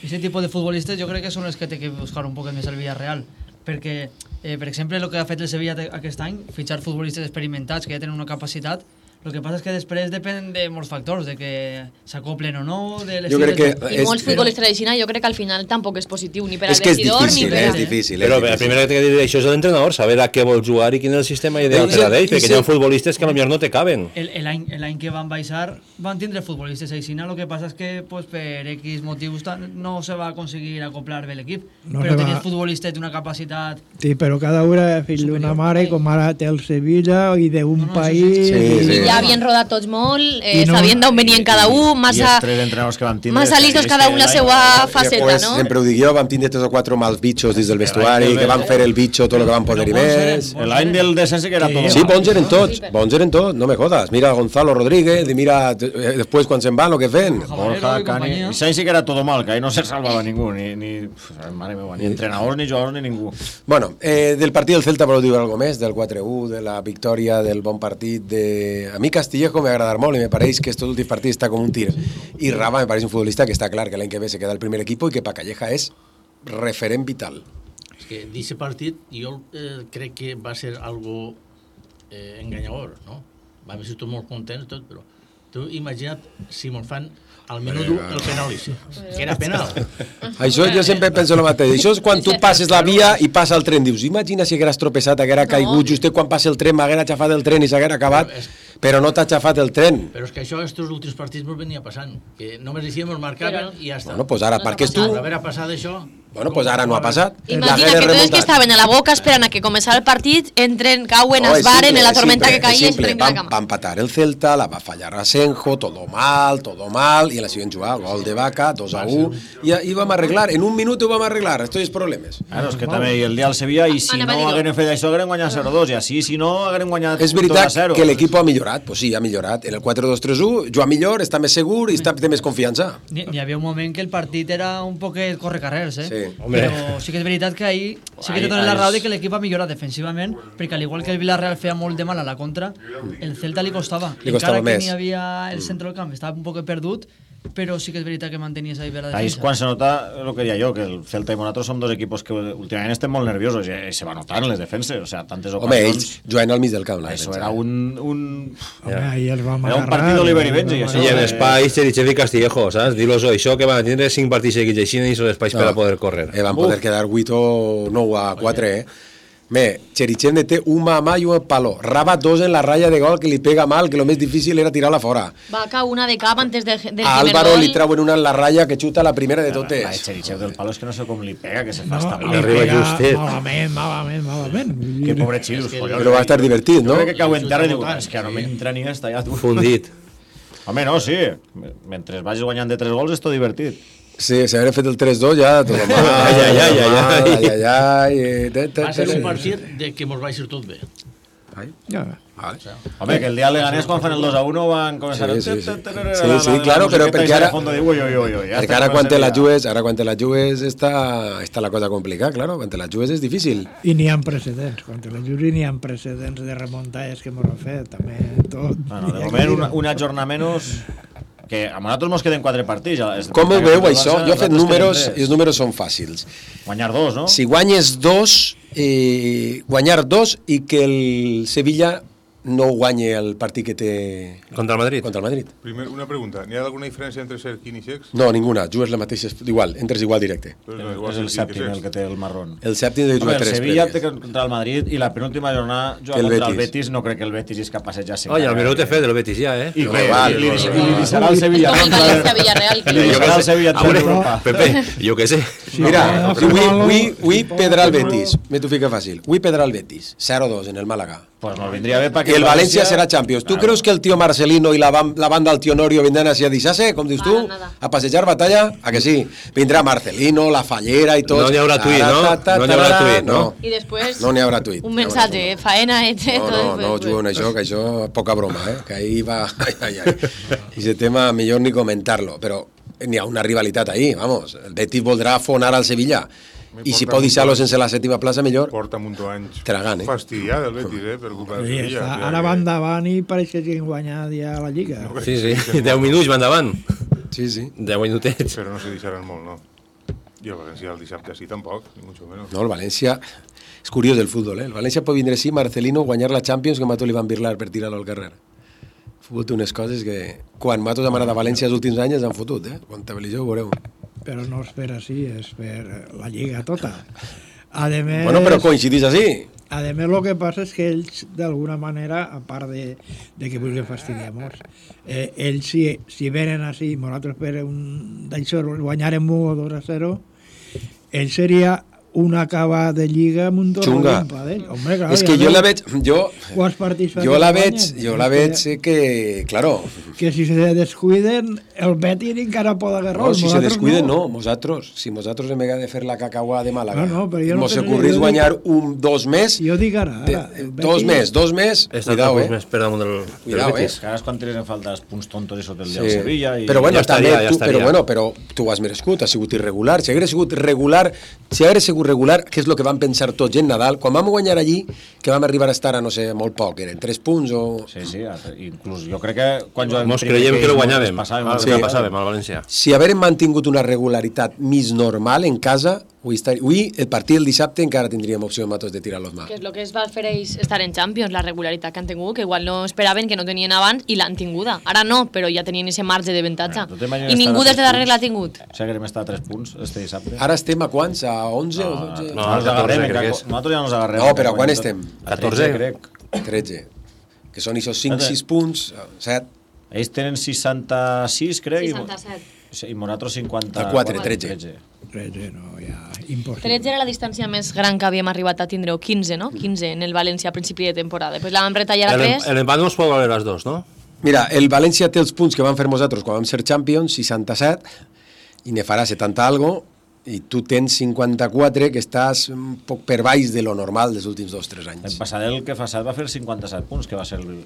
Ese tipo de futbolistes jo crec que són els que té que buscar un poc més el Villarreal, perquè, per exemple, el que ha fet el Sevilla aquest any, fitxar futbolistes experimentats que ja tenen una capacitat. El que passa és que després depèn de molts factors, de que s'acoplen o no, de l'estil... I molts futbolistes de Xina jo crec que al final tampoc és positiu, ni per al vestidor ni per... És difícil. Però el primer que t'he de dir això és l'entrenador, saber a què vol jugar i quin és el sistema ideal per a ell, perquè hi ha futbolistes que potser no te caben. L'any que van baixar van tindre futbolistes a Xina, el que passa és que per X motius no se va aconseguir acoplar bé l'equip, però tenien futbolistes d'una capacitat... Sí, però cada un era fill d'una mare, com ara té el Sevilla i d'un país... Ja havien rodat tots molt, sabien d'on venien cada un, massa listos cada un la seva faceta, no? Sempre ho dic jo, vam tindre 3 o 4 mals bitxos dins del vestuari, que van fer el bitxo tot el que van poder i més. L'any del descens que era tot. Sí, bons eren tots, no me jodas. Mira Gonzalo Rodríguez, i mira després quan se'n van el que fent. Borja, Cani... Sainz sí que era todo mal, que ahí no se salvava ningú, ni entrenadors, ni jugadors, ni ningú. Bueno, del partit del Celta voleu dir alguna més? Del 4-1, de la victòria, del bon partit de... A mi Castillejo me agradar molt i me pareix que estos últims partits està com un tir. I Raba me pareix un futbolista que està clar que l'any que ve se queda el primer equip i que pa Calleja és referent vital. És que d'aquest partit jo crec que va ser algo enganyador, no? Vam ser tots molt contents, tot, però tu imagina't si me'l fan al minut el penalici, que era penal. Això jo sempre penso el mateix. Això és quan tu passes la via i passa el tren. Dius, imagina si hagués tropeçat, haguera caigut, just quan passa el tren, m'haguera aixafat el tren i s'haguera acabat, però no t'ha aixafat el tren. Però és que això, estos últims partits, ens venia passant, que només deixíem, ens marcaven i ja està. Bueno, pues ara, perquè tu... A veure, passat això... Bueno, pues ara no ha passat. Imagina que tots que estaven a la boca esperant a que començara el partit, entren, cauen, es varen, en la tormenta que caia, es trenquen la cama. Va empatar el Celta, la va fallar Asenjo, todo mal, y en la siguiente jugada, gol de Vaca, 2-1, i vam arreglar, en un minut ho vam arreglar, estos els problemes. Claro, és que també el dia al Sevilla, i si no hagueren fet això, hagueren guanyat 0-2, i així, si no, hagueren guanyat 2-0. És veritat que l'equip ha millorat, pues sí, ha millorat. En el 4-2-3-1, juga millor, està més segur i té més confiança. Hi havia un moment que el partit era un poquet correcarrers, Sí. Però sí que és veritat que ahir sí que té tota la raó de que l'equip ha millorat defensivament, perquè al igual que el Villarreal feia molt de mal a la contra, el Celta li costava. Encara que n'hi havia el centre del camp, estava un poc perdut, però sí que és veritat que mantenia esa la defensa. Ahí és quan se nota el que deia jo, que el Celta i nosaltres som dos equipos que últimament estem molt nerviosos i se va notar en les defenses, o sea, tantes ocasions... Home, ells juguen al mig del camp, la defensa. Eso era un partit d'Oliver i Benji. I en espais, Cherichev i Castillejo, saps? Dir-los això, que van tindre 5 partits seguits així i són espais per a poder córrer. Van poder quedar 8 o 9-4, Cherichev té un mà i un palo. Raba 2 en la raya de gol, que li pega mal, que lo més difícil era tirar-la fora. Vaca una de cap antes del primer gol. Álvaro li trauen una en la raya que xuta la primera de totes. El Cherichev del palo és que no sé com li pega, que se fa No, estar li pega malament. Que pobre xilus, collons. Però va estar divertit, no? Jo crec que cau en terra i diu, és que no m'entra ni esta ja. Fundit. Home, no, sí. Mentre vagis guanyant de 3 gols és tot divertit. Sí, si haguera fet el 3-2 ja tot mal. Va ser un partit de que mos va ser tot bé. Home, que el dia de Leganés quan fan el 2-1 van començar Sí, claro, però perquè ara quan te la jugues està la cosa complicada, claro, quan te la jugues és difícil. I n'hi ha precedents, quan te la jugues n'hi ha precedents de remuntades que mos han fet, també tot. De moment una jornada menys, que a nosaltres ens queden 4 partits. Com ho veu això? Jo he fet números i els números són fàcils. Guanyar 2, no? Si guanyes 2, guanyar 2 i que el Sevilla no guanye el partit que té... Contra el Madrid. Primer, una pregunta. N'hi ha alguna diferència entre Serkin i Sex? No, ninguna. Jugues la mateixa... Igual, entres igual directe. És el sèptim el que té el marrón. El sèptim de jugar 3 premis. El Sevilla té contra el Madrid i la penúltima jornada juga contra el Betis. No crec que el Betis és capaç de ja ser... Oye, el minut he fet del Betis ja, I li serà el Sevilla. Li serà el Sevilla a Europa. Pepe, jo què sé. Mira, avui pedrà el Betis. Me t'ho fica fàcil. Avui pedrà el Betis. 0-2 en el Málaga. Pues nos vendría bé perquè el València serà Champions. Tu creus que el tio Marcelino i la banda del tio Norio vindran així a deixar-se, com dius tu? A passejar batalla? A que sí? Vindrà Marcelino, la Fallera i tot. No n'hi haurà tuit, no? No n'hi haurà tuit, no? I després... No n'hi haurà tuit. Un mensatge, faena, No juguen això, que això poca broma, que ahí va... I ese tema millor ni comentar-lo, però n'hi ha una rivalitat ahí, vamos. El Betis voldrà afonar al Sevilla. I si pot deixar-lo sense la 7ª plaça, millor. Porta un munt d'anys fastidiat el Betis, per culpa del Sevilla. Ara va endavant i pareix que hagin guanyat ja la Lliga. Sí, 10 minuts va endavant. Sí. 10 minutets. Però no se deixaran molt, no? I el València el dissabte sí, tampoc, ni mucho menos. No, el València... És curiós el futbol, El València pot vindre així, Marcelino, guanyar la Champions, que Mato li van birlar per tirar-lo al carrer. El futbol té unes coses que... Quan Mato s'ha anat a València els últims anys han fotut, Comptabilitzeu, veureu. Però no és per així, és per la Lliga tota. Ademés, bueno, però coincidís així. Ademés, el que passa és que ells, d'alguna manera, a part de que vulguin fastidiar-nos, ells, si venen així, nosaltres per d'això guanyarem 1-2-0, ells seria una acaba de Lliga amb un xunga. Hombre, claro, és que jo la veig... Jo la veig que, claro... Que si se descuiden, el Betis encara pot agarrar. No, si se descuiden, no. Si nosaltres hem de fer la cacauà de Màlaga, mos ocorrís guanyar 2 més... Jo dic ara. 2 més, cuidao, més per damunt del Betis. Ara és quan tenen falta els punts tontos i sota el dia del Sevilla. Però bueno, però tu has merescut, has sigut irregular. Si hagués sigut regular, què és el que van pensar tots en Nadal, quan vam guanyar allí, que vam arribar a estar a, no sé, molt poc, eren 3 punts o... Sí, inclús jo crec que quan mos creiem que lo guanyàvem, passàvem al València. Si haguérem mantingut una regularitat més normal en casa, avui el partit del dissabte encara tindríem opció matos de tirar los mà. Que és el que es va fer ells estar en Champions, la regularitat que han tingut, que igual no esperaven, que no tenien abans, i l'han tinguda. Ara no, però ja tenien ese marge de avantatge. I ningú des de darrere l'ha tingut. Si haguérem estat a 3 punts este dissabte. Ara estem a quants? A 11 o 12? No, nosaltres ja no ens agarrem. No, però a quan estem? 14, crec. 13. Que són aquests 5-6 punts, 7. Ells tenen 66, crec. 67. I Moratros 54. 13. 13, no, ja, impossible. 13 era la distància més gran que havíem arribat a tindre, o 15, no? 15 en el València a principi de temporada. Després la vam retallar a 3. L'empat no es pot valer les dos, no? Mira, el València té els punts que van fer nosaltres quan vam ser Champions, 67, i ne farà 70 algo, i tu tens 54, que estàs un poc per baix de lo normal dels últims 2-3 anys. El passat, el que passat va fer 57 punts, que va ser el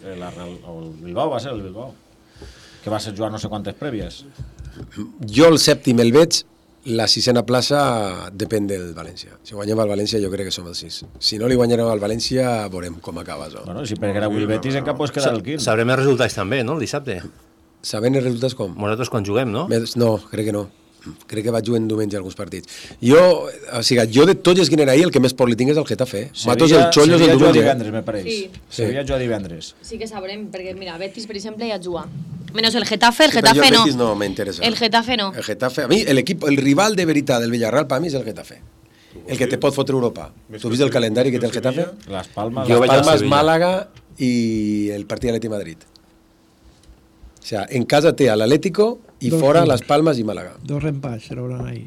Bilbao, va ser el Bilbao, que va ser jugar no sé quantes prèvies. Jo el sèptim el veig, la sisena plaça depèn del València. Si guanyem al València jo crec que som el 6. Si no li guanyarem al València veurem com acaba això. Bueno, si perquè era el Betis encara pots quedar el 15. Sabrem els resultats també, no, el dissabte? Sabem els resultats com? Nosaltres quan juguem, no? No, crec que no. Crec que vaig jugant diumenge alguns partits. Jo de tots els que eren ahir, el que més por li tinc és el Getafe. Matos el Chollos el diumenge. Divendres, me pareix. Sí. Sevilla juga divendres. Sí que sabrem, perquè mira, Betis, per exemple, ja juga. Menos el Getafe no. Betis no m'interessa. El Getafe no. El Getafe, a mi, el rival de veritat del Villarreal, per mi és el Getafe. El que te pot fotre Europa. Tu has vist el calendari que té el Getafe? Las Palmas, Málaga i el partit de l'Atleti Madrid. O sea, en casa té a l'Atlético i fora Las Palmas i Málaga. 2 empats se l'hauran ahí.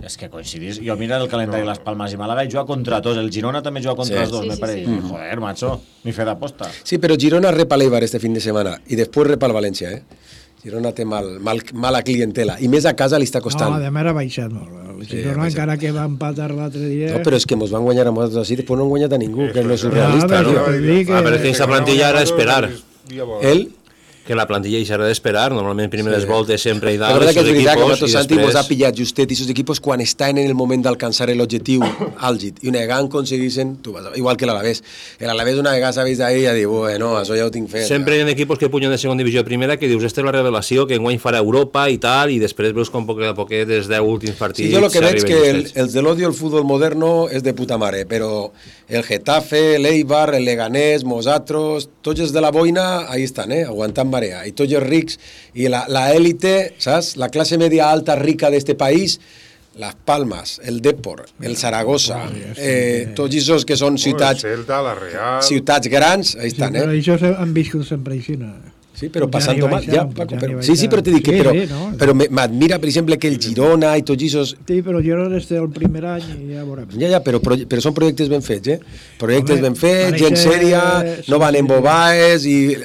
És que coincidís. Jo mira el calendari de Las Palmas i Málaga i juga contra tots. El Girona també juga contra els dos, me pareix. Joder, macho, ni fe d'aposta. Sí, però Girona repa l'Eibar este fin de setmana i després repa el València, Girona té mala clientela i més a casa li està costant. No, además ha baixat molt. El Girona encara que va empatar l'altre dia... No, però és que mos van guanyar a nosaltres així, després no han guanyat a ningú, que no és surrealista. Però és que aquesta plantilla era d'esperar. El? Que la plantilla hi serà d'esperar, normalment primeres voltes sempre hi dalt. La verdad que és veritat que Mato Santi mos ha pillat justet i aquests equipos quan estan en el moment d'alcançar l'objectiu àlgid i una vegada aconseguissin, igual que l'Alavés. L'Alavés una vegada s'ha vist ahí i ha dit, bueno, això ja ho tinc fet. Sempre hi ha equipos que punyen de segona divisió primera que dius, esta és la revelació, que enguany farà Europa i tal, i després veus com poquet a poquet des de últims partits... Sí, jo el que veig que els de l'odio al futbol moderno és de puta mare, però el Getafe, l'Eibar, el Leganés, nosaltres, tots els de la boina, ahí estan, aguantant marea, i tots els rics, i la élite, saps? La classe media alta rica d'este país, Las Palmas, el Depor, el Zaragoza, tots aquests que són ciutats... El Celta, la Real... Ciutats grans, ahí estan, Però això han viscut sempre així, no? Sí, però passant-ho mal, ja, Paco, sí, però t'he dit que, però m'admira, per exemple, que el Girona i tots aquests... Sí, però Girona és el primer any i ja veurem. Ja, però són projectes ben fets, Projectes ben fets, gent sèria, no van en bobaes i...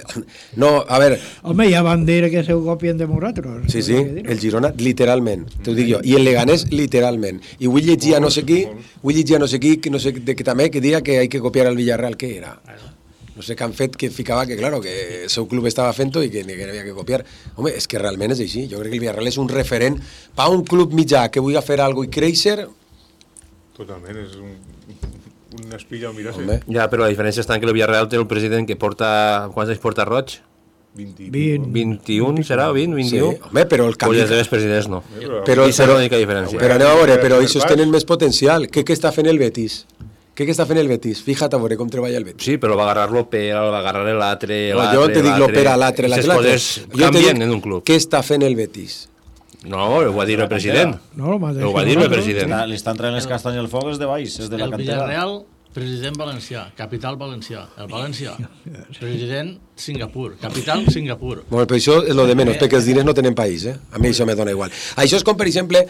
No, a veure... Home, ja van dir que se ho copien de nosaltres. Sí, el Girona, literalment, t'ho dic jo, i el Leganés, literalment. I vull llegir a no sé qui, que no sé que també, que dia que hay que copiar al Villarreal, què era? No sé què han fet, que ficava que, claro, que el seu club estava fent-ho i que havia que copiar. Home, és que realment és així. Jo crec que el Villarreal és un referent per un club mitjà que vulgui fer alguna cosa i créixer. Totalment, és un espilla al mirar-se. Ja, però la diferència està en que el Villarreal té el president que porta... Quants anys porta Roig? 21, serà? 20, 21? Sí, home, però el canvi... Pues els presidents no. Però és l'única diferència. Però anem a veure, però ells tenen més potencial. Què està fent el Betis? Què està fent el Betis? Fíjate a veure com treballa el Betis. Sí, però va agarrar l'Opera, va agarrar l'altre... No, jo te dic l'Opera, l'altre. Les coses canvien en un club. Què està fent el Betis? No, ho va dir el president. Ho va dir el president. Li estan traient les castanyes al foc, és de baix, és de la cantera. El Villarreal, president valencià, capital valencià. El València, president Singapur, capital Singapur. Bueno, però això és lo de menys, perquè els diners no tenen país, A mi això me dona igual. Això és com, per exemple...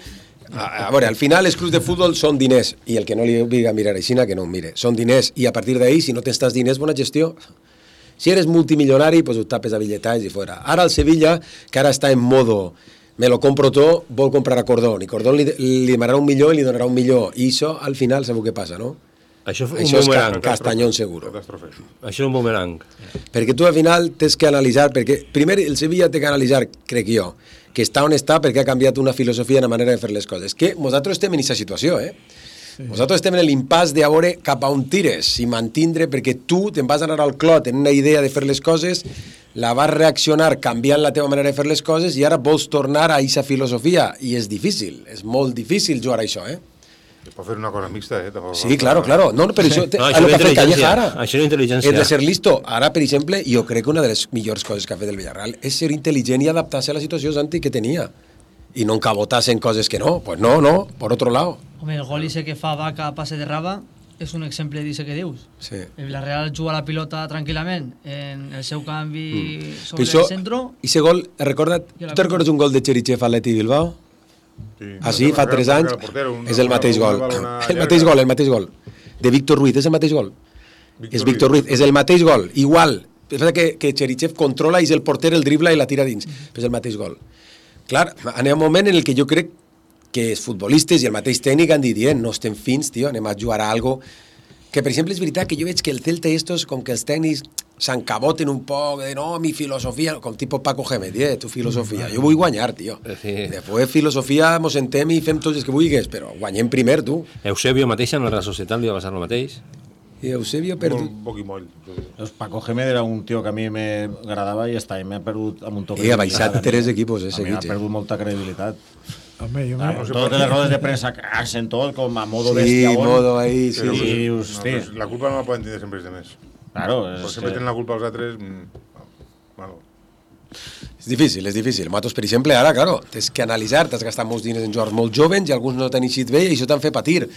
A veure, al final els clubs de futbol són diners i el que no li obliga a mirar així, que no ho mire. Són diners i a partir d'ahí, si no tens diners, bona gestió. Si eres multimilionari, pues ho tapes a billetalls i fora. Ara el Sevilla, que ara està en modo me lo compro tot, vol comprar a Cordón i Cordón li demanarà $1 milió i li donarà $1 milió i això al final sabeu què passa, no? Això és castanyón seguro. Això és un boomerang. Perquè tu al final tens que analitzar, perquè primer el Sevilla té que analitzar, crec jo, que està on està perquè ha canviat una filosofia, una manera de fer les coses. Que nosaltres estem en aquesta situació, Nosaltres estem en l'impàs de veure cap a on tires i mantindre, perquè tu te'n vas anar al clot en una idea de fer les coses, la vas reaccionar canviant la teva manera de fer les coses i ara vols tornar a aquesta filosofia i és difícil, és molt difícil jugar a això, Es pot fer una cosa mixta, Sí, claro. No, però això... Això és intel·ligència. Això és intel·ligència. És de ser listo. Ara, per exemple, jo crec que una de les millors coses que ha fet el Villarreal és ser intel·ligent i adaptar-se a la situació Santi que tenia. I no encabotar-se en coses que no. Pues no, por otro lado. Home, el gol ese que fa Vaca a pase de Raba, és un exemple d'això que dius. Sí. El Villarreal juga la pilota tranquil·lament en el seu canvi sobre el centre. I ese gol, recorda't, tu te recordes un gol de Cherichev a l'Atleti Bilbao? Sí, fa 3 anys, és el mateix gol. El mateix gol. De Víctor Ruiz, és el mateix gol. És Víctor Ruiz, és el mateix gol, igual. És que Cherichev controla i és el porter, el dribla i la tira dins. Però és el mateix gol. Clar, anem a un moment en el que jo crec que els futbolistes i el mateix tècnic han dit, no estem fins, tio, anem a jugar a algo que, per exemple, és veritat que jo veig que el Celta estos, com que els tècnics s'encaboten un poc, de no, mi filosofia, com tipus Paco Gémez, tu filosofia, jo vull guanyar, tio. Després filosofia, mos sentem i fem tots els que vulguis, però guanyem primer, tu. Eusebio mateix en la Real Societat li va passar el mateix. I Eusebio perdut. Un poc i moll. Paco Gémez era un tio que a mi m'agradava i està, m'ha perdut amb un toc. Ha baixat 3 equipos, seguits. Ha perdut molta credibilitat. Home, jo totes les rodes de premsa hacen tot com a modo bestia. Sí, modo ahí, sí. La culpa no la poden tenir sempre els demés. Claro. Sempre tenen la culpa els altres. És difícil. Nosaltres, per exemple, ara, claro, tens que analitzar, t'has gastat molts diners en jugadors molt jovens i alguns no t'han eixit bé i això t'han fet patir.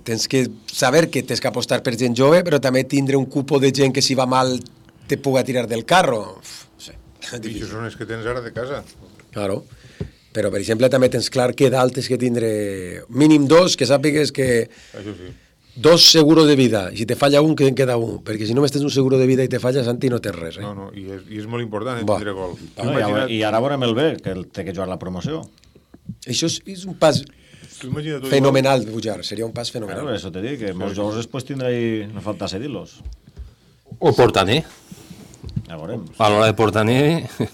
Tens que saber que tens que apostar per gent jove, però també tindre un cupo de gent que si va mal te puga tirar del carro. I això són els que tens ara de casa. Claro. Però, per exemple, també tens clar que dalt és que tindre mínim 2, que sàpigues que... Això sí. 2 seguros de vida. Si te falla un, que en queda un. Perquè si només tens un seguro de vida i te falla, Santi, no tens res. No, i és molt important tindre gol. I ara veurem el B, que té que jugar la promoció. Això és un pas fenomenal de pujar. Seria un pas fenomenal. Claro, eso te dic, que molts jugadors després tindrà i no falta cedir-los. O Portaner. Ja veurem. A l'hora de Portaner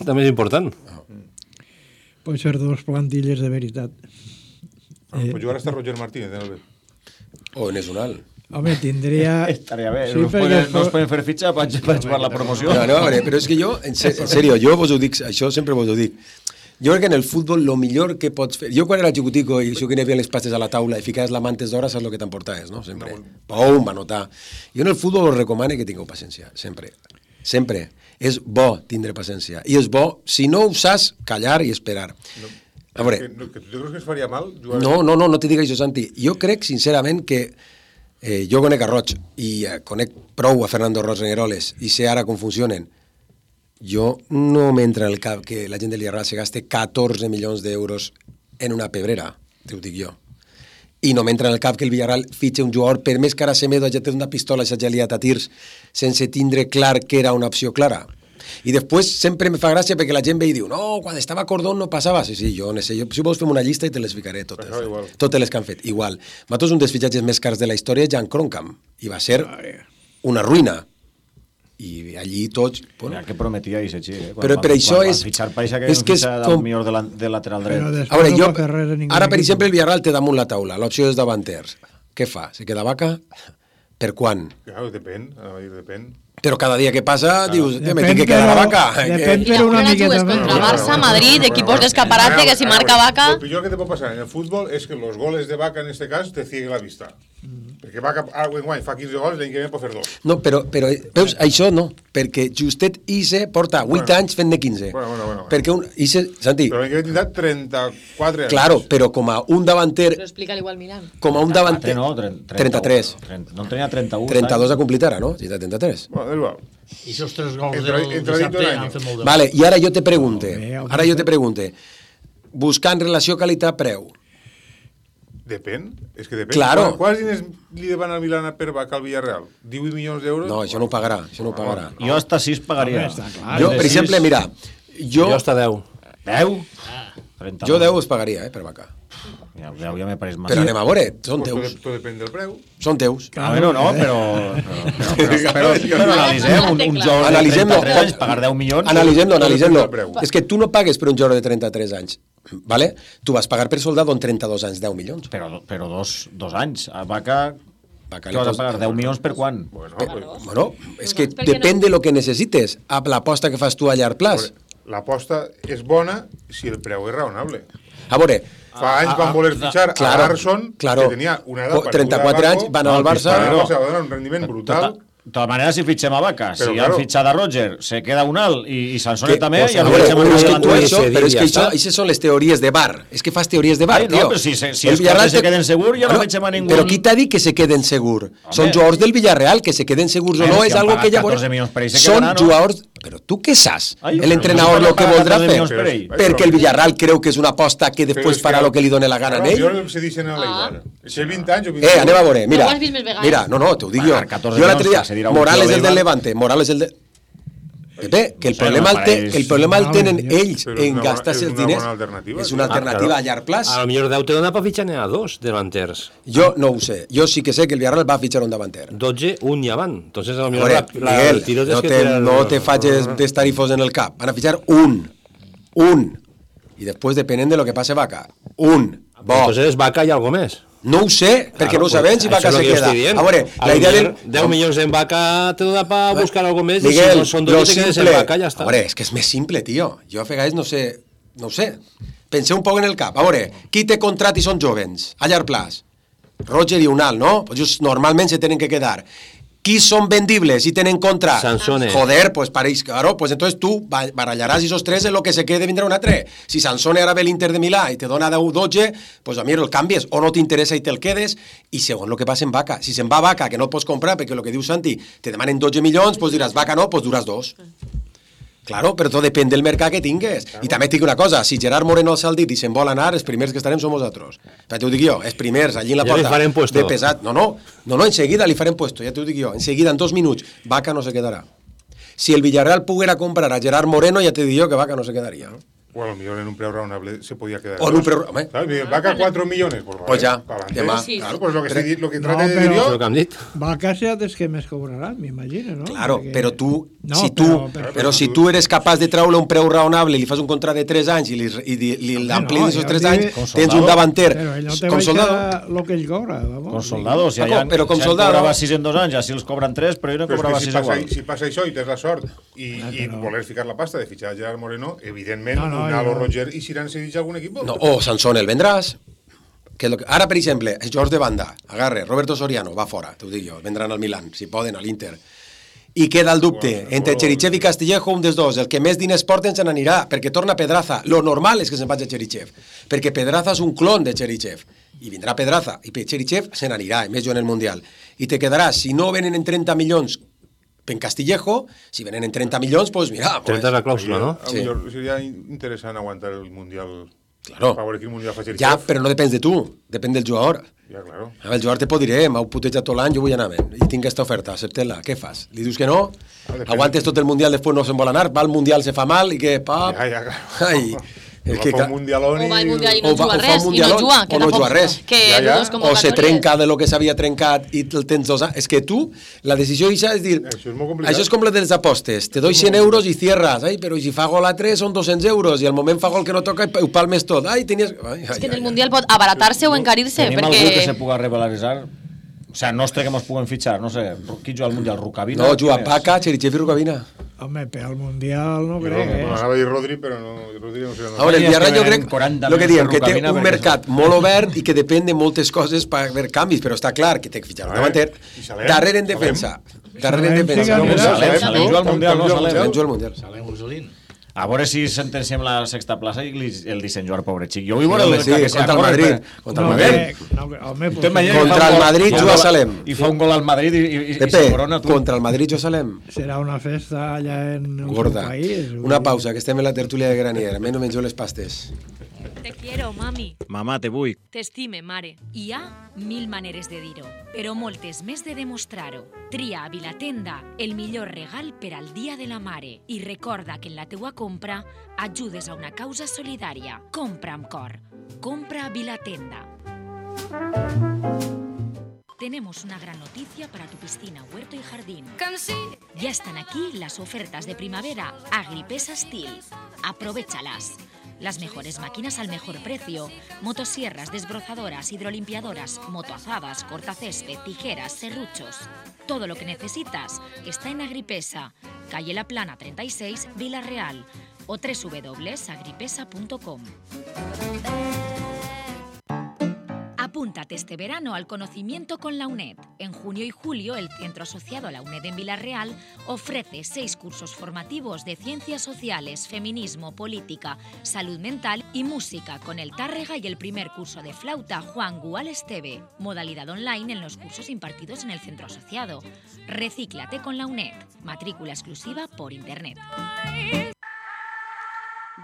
també és important. Pot ser 2 plantilles de veritat. Pues jugar hasta Roger Martínez en el B. O en Esunal. Home, tindria... Estaria bé, sí, no es poden fer fitxa per jugar la promoció. No, però és que jo, en sèrio, jo vos ho dic, això sempre vos ho dic. Jo crec que en el futbol lo millor que pots fer... Jo quan era xicutico i això que n'hi havia les pastes a la taula i ficaves la mantes d'hora, saps el que t'emportaves, no? Sempre. Pum, va notar. Jo en el futbol us recomano que tingueu paciència, sempre. Sempre. És bo tindre paciència. I és bo, si no ho saps, callar i esperar. A veure... Que tu creus que es faria mal? No te dic això, Santi. Jo crec, sincerament, que jo conec a Roig i conec prou a Fernando Roig Regueroles i sé ara com funcionen. Jo no m'entra el cap que la gent de l'Villarreal se gaste 14 milions d'euros en una pebrera, t'ho dic jo. I no m'entra en el cap que el Villarreal fitxa un jugador, per més que ara Semedo hagi tret una pistola i s'hagi liat a tirs, sense tindre clar que era una opció clara. I després sempre me fa gràcia perquè la gent ve i diu no, quan estava Cordón no passava. Sí, jo no sé, si vols fem una llista i te les ficaré totes. Totes les que han fet, igual. Nosaltres un dels fitxatges més cars de la història és Jan Kroenkamp, i va ser una ruïna. I allí tots... Bueno, que prometia i s'així, però per això és... És que és com... millor de lateral dret. A veure, jo... Ara, per exemple, el Villarreal té damunt la taula, l'opció és davanters. Què fa? Se queda Vaca? Per quan? Claro, depèn. Però cada dia que passa, dius, me tinc que quedar a Vaca. Depèn per una miqueta. Contra Barça, Madrid, equipos de escaparate, que si marca Vaca... Lo peor que te puede pasar en el fútbol es que los goles de Vaca, en este caso, te cieguen la vista. Perquè Vaca, guany, fa 15 gols, l'any que ve pot fer 2. No, però veus, això no, perquè justet Ise porta 8 anys fent-ne 15. Bueno. Perquè Ise, Santi... Però l'any que ve tindrà 34 anys. Claro, però com a un davanter... Però explica-li igual Milan. Com a un davanter... No, 33. No en tenia 31. 32 ha complit ara, no? Si té 33. Bueno, és igual. I aquests 3 gols del dissabte han fet molt de... Vale, i ara jo te pregunte, buscant relació qualitat-preu. Depèn, és que depèn. Claro. Quants diners li van al Milan per Vaca al Villarreal? 18 milions d'euros? No, això no ho pagarà, Jo hasta 6 pagaria. Jo, per exemple, mira, jo hasta 10. 10? Jo 10 us pagaria, per Vaca. Ja me pareix massa. Però anem a veure, són teus. Tot depèn del preu. Són teus. Bueno, no, però analitzem un jugador de 33 anys, pagar 10 milions... Analitzem-lo. És que tu no pagues per un jugador de 33 anys, ¿vale? Tu vas pagar per soldado en 32 anys 10 milions. Però 2 anys. A Vaca... Què vas a pagar? 10 milions per quan? Bueno, és que depèn de lo que necessites. A l'aposta que fas tu a llarg plaç. L'aposta és bona si el preu és raonable. A veure... Fa anys van voler fitxar a Larson, que tenia una edat... 34 anys, van anar al Barça... Va donar un rendiment brutal. De totes maneres, si fitxem a Vaca, si han fitxat a Roger, se queda Unal i Sansone també, i el fitxem a Unal. Però és que això són les teories de bar. És que fas teories de bar, tio. No, però si els quatre se queden segur, ja no fitxem a ningú. Però qui t'ha dit que se queden segur? Són jugadors del Villarreal, que se queden segurs o no, és algo que ja veurem. Són jugadors... Però tu què saps? L'entrenador lo que voldrà fer? Perquè el Villarreal creu que és una aposta que després farà lo que li doni la gana a ell. Jo se deixen a l'Eibar. Si 20 anys o 20 anem a veure, mira, no, t'ho dic jo. Jo l'altre dia, Morales és del Levante, Morales és del... Pepe, que el problema el tenen ells en gastar-se els diners. És una alternativa a llarg plaç. A lo millor Déu te dona per fitxar a 2 delanters. Jo no ho sé. Jo sí que sé que el Villarreal va fitxar un davanter. 12, un ja van. Entonces a lo millor el tirot és que... No te facis d'estarifos en el cap. Van a fitxar un. I després, depenent de lo que passe Vaca. Un. Bo. Entonces Vaca hi ha algo més. No ho sé, perquè no ho sabem si Vaca se queda. A veure, la idea del... 10 milions en Vaca te dona per buscar algo més, Miguel, i si són 2 te quedes en Vaca, ja està. A veure, és que és més simple, tio. Jo a vegades no ho sé. Penseu un poc en el cap. A veure, qui té contrat i són jovens? A llarg plaç. Roger i Unal, no? Pues normalment se tenen que quedar. Qui són vendibles i tenen contrat? Sansone. Joder, pues pareix, claro, pues entonces tú barallaràs esos tres en lo que se quede vindrà un altre. Si Sansone ara ve l'Inter de Milà i te dona 10-12, pues a mi el canvies, o no t'interessa i te'l quedes, i segon lo que passa en Vaca. Si se'n va Vaca, que no el pots comprar, perquè el que diu Santi, te demanen 12 milions, pues diràs, Vaca no, pues duràs 2. Claro, però tot depèn del mercat que tingues. I també et dic una cosa, si Gerard Moreno s'ha dit i se'n vol anar, els primers que estarem som nosaltres. Ja t'ho dic jo, els primers, allí en la porta de pesat. No, enseguida li farem puesto, ja t'ho dic jo. Enseguida, en 2 minuts, Vaca no se quedarà. Si el Villarreal poguera comprar a Gerard Moreno, ja te dic jo que Vaca no se quedaria. Bueno, a lo mejor en un preu raonable se podía quedar. O en un preu... Vaca 4 millones. Pues ya, demà. Claro, pues lo que trate de dir jo... Lo que han dit. Vaca serà dels que més cobraran, m'imagino, no? Claro, però tu... Si tu eres capaç de treure un preu raonable i li fas un contrat de 3 anys i li l'amplies aquests 3 anys, tens un davanter com soldado. Lo que ell cobra, vamos. Com soldado, si allà cobrava 6 en 2 anys, així els cobran 3, però ell no cobrava 6 igual. Si passa això i tens la sort i voler ficar la pasta de fitxar a Gerard Moreno, evidentment, Unal o Roger i si iran cedits a algun equip. O Sansone el vendràs. Ara, per exemple, els jugadors de banda, agarre, Roberto Soriano, va fora, t'ho dic jo, vendran al Milan, si poden, a l'Inter. I queda el dubte, entre Cherichev i Castillejo, un dels dos, el que més diners porten se n'anirà, perquè torna Pedraza. Lo normal és que se'n vagi a Cherichev, perquè Pedraza és un clon de Cherichev, i vindrà Pedraza, i Cherichev se n'anirà, més jo en el Mundial. I te quedaràs, si no venen en 30 milions en Castillejo, si venen en 30 milions, pues mira... 30 és la clàusula, no? Sí. Seria interessant aguantar el Mundial... Claro. Ja, però no depèn de tu, depèn del jugador. Ja, claro. El jugador te pot dir, m'heu putejat tot l'any, jo vull anar i tinc aquesta oferta, accepta-la, què fas? Li dius que no? Aguantes tot el Mundial, després no se'n vol anar, va al Mundial, se fa mal, i què, pap... Ja, claro. Ai... fa un mundialón o va al mundial i no juga res, i no juga, o no juga res, o se trenca de lo que s'havia trencat i el tens 2 anys. És que tu, la decisió és dir, això és com la de les apostes, te doy 100 euros i cierras, però si fa gol a 3 són 200 euros i al moment fa gol que no toca i ho palmes tot. És que en el mundial pot abaratar-se o encarir-se. Tenim algú que se puga revaloritzar? O sea, nostre que mos puguen fitxar, no sé, qui juga al Mundial, Rukavina? No, juga Vaca, Cherichev i Rukavina. Home, per al Mundial no crec, Anava a dir Rodri, però no, Rodri no sé. A veure, el Villarreal jo crec, el que diem, que té un mercat molt obert i que depèn de moltes coses per haver canvis, però està clar que té que fitxar un davanter. Darrere en defensa. Darrere en defensa. Salem juga al Mundial, no? Salem juga al Mundial. Salem Ursulín. A veure si sentenciem la sexta plaça i el disseny jugar, pobre xic. Jo vull veure contra el Madrid. Contra el Madrid juga a Salem. I fa un gol al Madrid i se corona. Contra el Madrid juga a Salem. Serà una festa allà en el seu país. Una pausa, que estem en la tertúlia de Granier. Menys menjo les pastes. Te quiero, mami. Mamà, te vull. T'estime, mare. Hi ha 1000 maneres de dir-ho, però moltes més de demostrar-ho. Tria a Vilatenda el millor regal per al Dia de la Mare i recorda que en la teua compra ajudes a una causa solidària. Compra amb cor. Compra a Vilatenda. Tenemos una gran noticia para tu piscina, huerto y jardín. Ya están aquí las ofertas de primavera Agripesa Steel. Aprovéchalas. Las mejores máquinas al mejor precio. Motosierras, desbrozadoras, hidrolimpiadoras, motoazadas, cortacésped, tijeras, serruchos. Todo lo que necesitas está en Agripesa, calle La Plana 36, Vila Real, o www.agripesa.com. Apúntate este verano al conocimiento con la UNED. En junio y julio, el centro asociado a la UNED en Villarreal ofrece 6 cursos formativos de ciencias sociales, feminismo, política, salud mental y música con el Tárrega y el primer curso de flauta Juan Gual Esteve. Modalidad online en los cursos impartidos en el centro asociado. Recíclate con la UNED. Matrícula exclusiva por internet.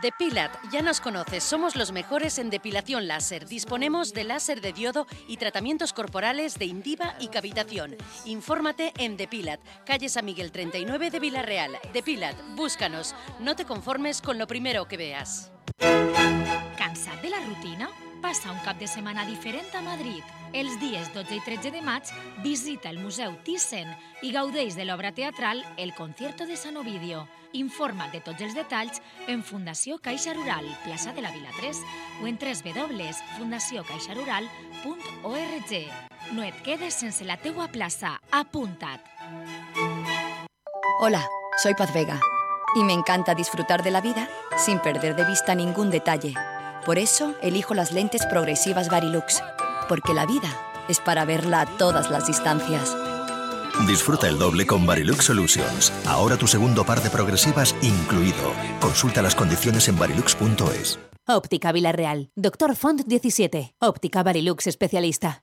Depilat, ya nos conoces, somos los mejores en depilación láser. Disponemos de láser de diodo y tratamientos corporales de Indiva y cavitación. Infórmate en Depilat, calle San Miguel 39 de Villarreal. Depilat, búscanos. No te conformes con lo primero que veas. Cansat de la rutina? Passa un cap de setmana diferent a Madrid. Els dies 12 i 13 de maig visita el Museu Thyssen i gaudeix de l'obra teatral El concierto de San Ovidio. Informa't de tots els detalls en Fundació Caixa Rural, plaça de la Vila 3, o en www.fundaciocaixarural.org. No et quedes sense la teua plaça. Apunta't! Hola, soy Paz Vega y me encanta disfrutar de la vida sin perder de vista ningún detalle. Por eso elijo las lentes progresivas Varilux, porque la vida es para verla a todas las distancias. Disfruta el doble con Varilux Solutions. Ahora tu segundo par de progresivas incluido. Consulta las condiciones en varilux.es. Óptica Villarreal. Dr. Font 17. Óptica Varilux especialista.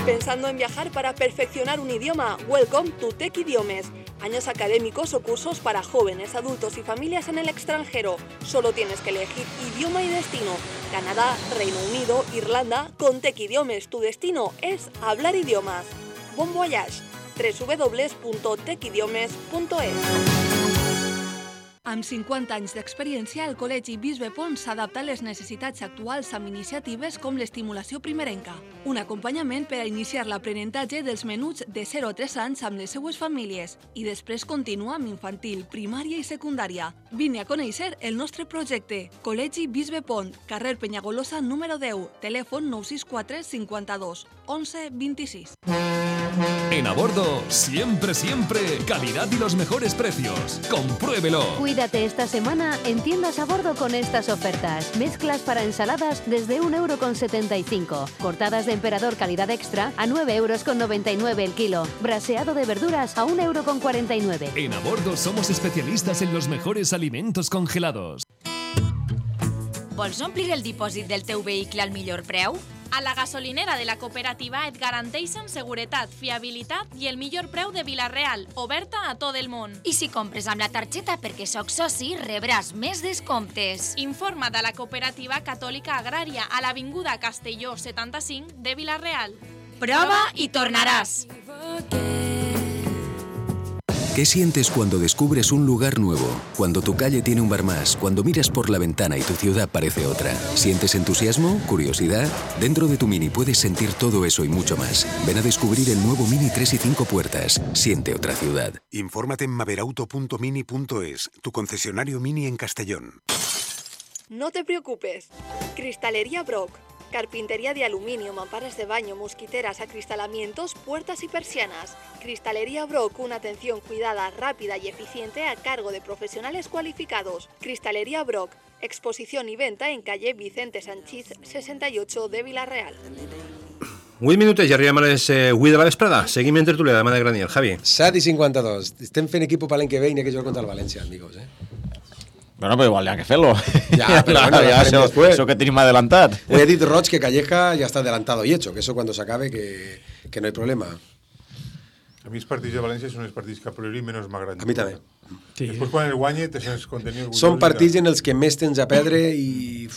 ¿Pensando en viajar para perfeccionar un idioma? Welcome to Tech Idiomes. Años académicos o cursos para jóvenes, adultos y familias en el extranjero. Solo tienes que elegir idioma y destino. Canadá, Reino Unido, Irlanda. Con Tech Idiomes tu destino es hablar idiomas. Bon voyage. www.techidiomes.es. Amb 50 anys d'experiència, el Col·legi Bisbe Pons s'adapta a les necessitats actuals amb iniciatives com l'estimulació primerenca, un acompanyament per a iniciar l'aprenentatge dels menuts de 0 a 3 anys amb les seues famílies i després continua amb infantil, primària i secundària. Vine a conèixer el nostre projecte. Col·legi Bisbe Pont, carrer Penyagolosa número 10, telèfon 964 52 11 26. En Abordo, siempre, calidad y los mejores precios. Compruébelo. Cuídate esta semana en tiendas Abordo con estas ofertas. Mezclas para ensaladas desde 1,75 €. Cortadas de emperador calidad extra a 9,99 € el kilo. Braseado de verduras a 1,49 €. En Abordo somos especialistas en los mejores alimentos congelados. Vols omplir el dipòsit del teu vehicle al millor preu? A la gasolinera de la cooperativa et garanteixen seguretat, fiabilitat i el millor preu de Vila-real, oberta a tot el món. I si compres amb la targeta perquè soc soci, rebràs més descomptes. Informa't a la cooperativa catòlica agrària a l'Avinguda Castelló 75 de Vila-real. Prova i tornaràs. ¿Qué sientes cuando descubres un lugar nuevo? Cuando tu calle tiene un bar más, cuando miras por la ventana y tu ciudad parece otra. ¿Sientes entusiasmo? ¿Curiosidad? Dentro de tu Mini puedes sentir todo eso y mucho más. Ven a descubrir el nuevo Mini 3 y 5 puertas. Siente otra ciudad. Infórmate en maverauto.mini.es, tu concesionario Mini en Castellón. No te preocupes. Cristalería Brock. Carpintería de aluminio, mamparas de baño, mosquiteras, acristalamientos, puertas y persianas. Cristalería Brock, una atención cuidada, rápida y eficiente a cargo de profesionales cualificados. Cristalería Brock, exposición y venta en calle Vicente Sanchís 68 de Vila-real. 8 minuts i arribem a les 8 de la vesprada. Seguim en tertúlia de mà de Graniel. Javi. 7:52. Estem fent equip per l'any que ve i n'hi ha que jugar contra el València, amigos, Bueno, pero igual ya que hacerlo. Ya, pero bueno, ya eso que tenim adelantat. He dit, Roig, que Calleja ya está adelantado y hecho, que eso cuando se acabe que no hay problema. A mi els partits de València són els partits que a priori menys m'agraden. A mi també. Sí. Després quan el guanye te sents contenir orgullós. Són partits en els que més tens a perdre i...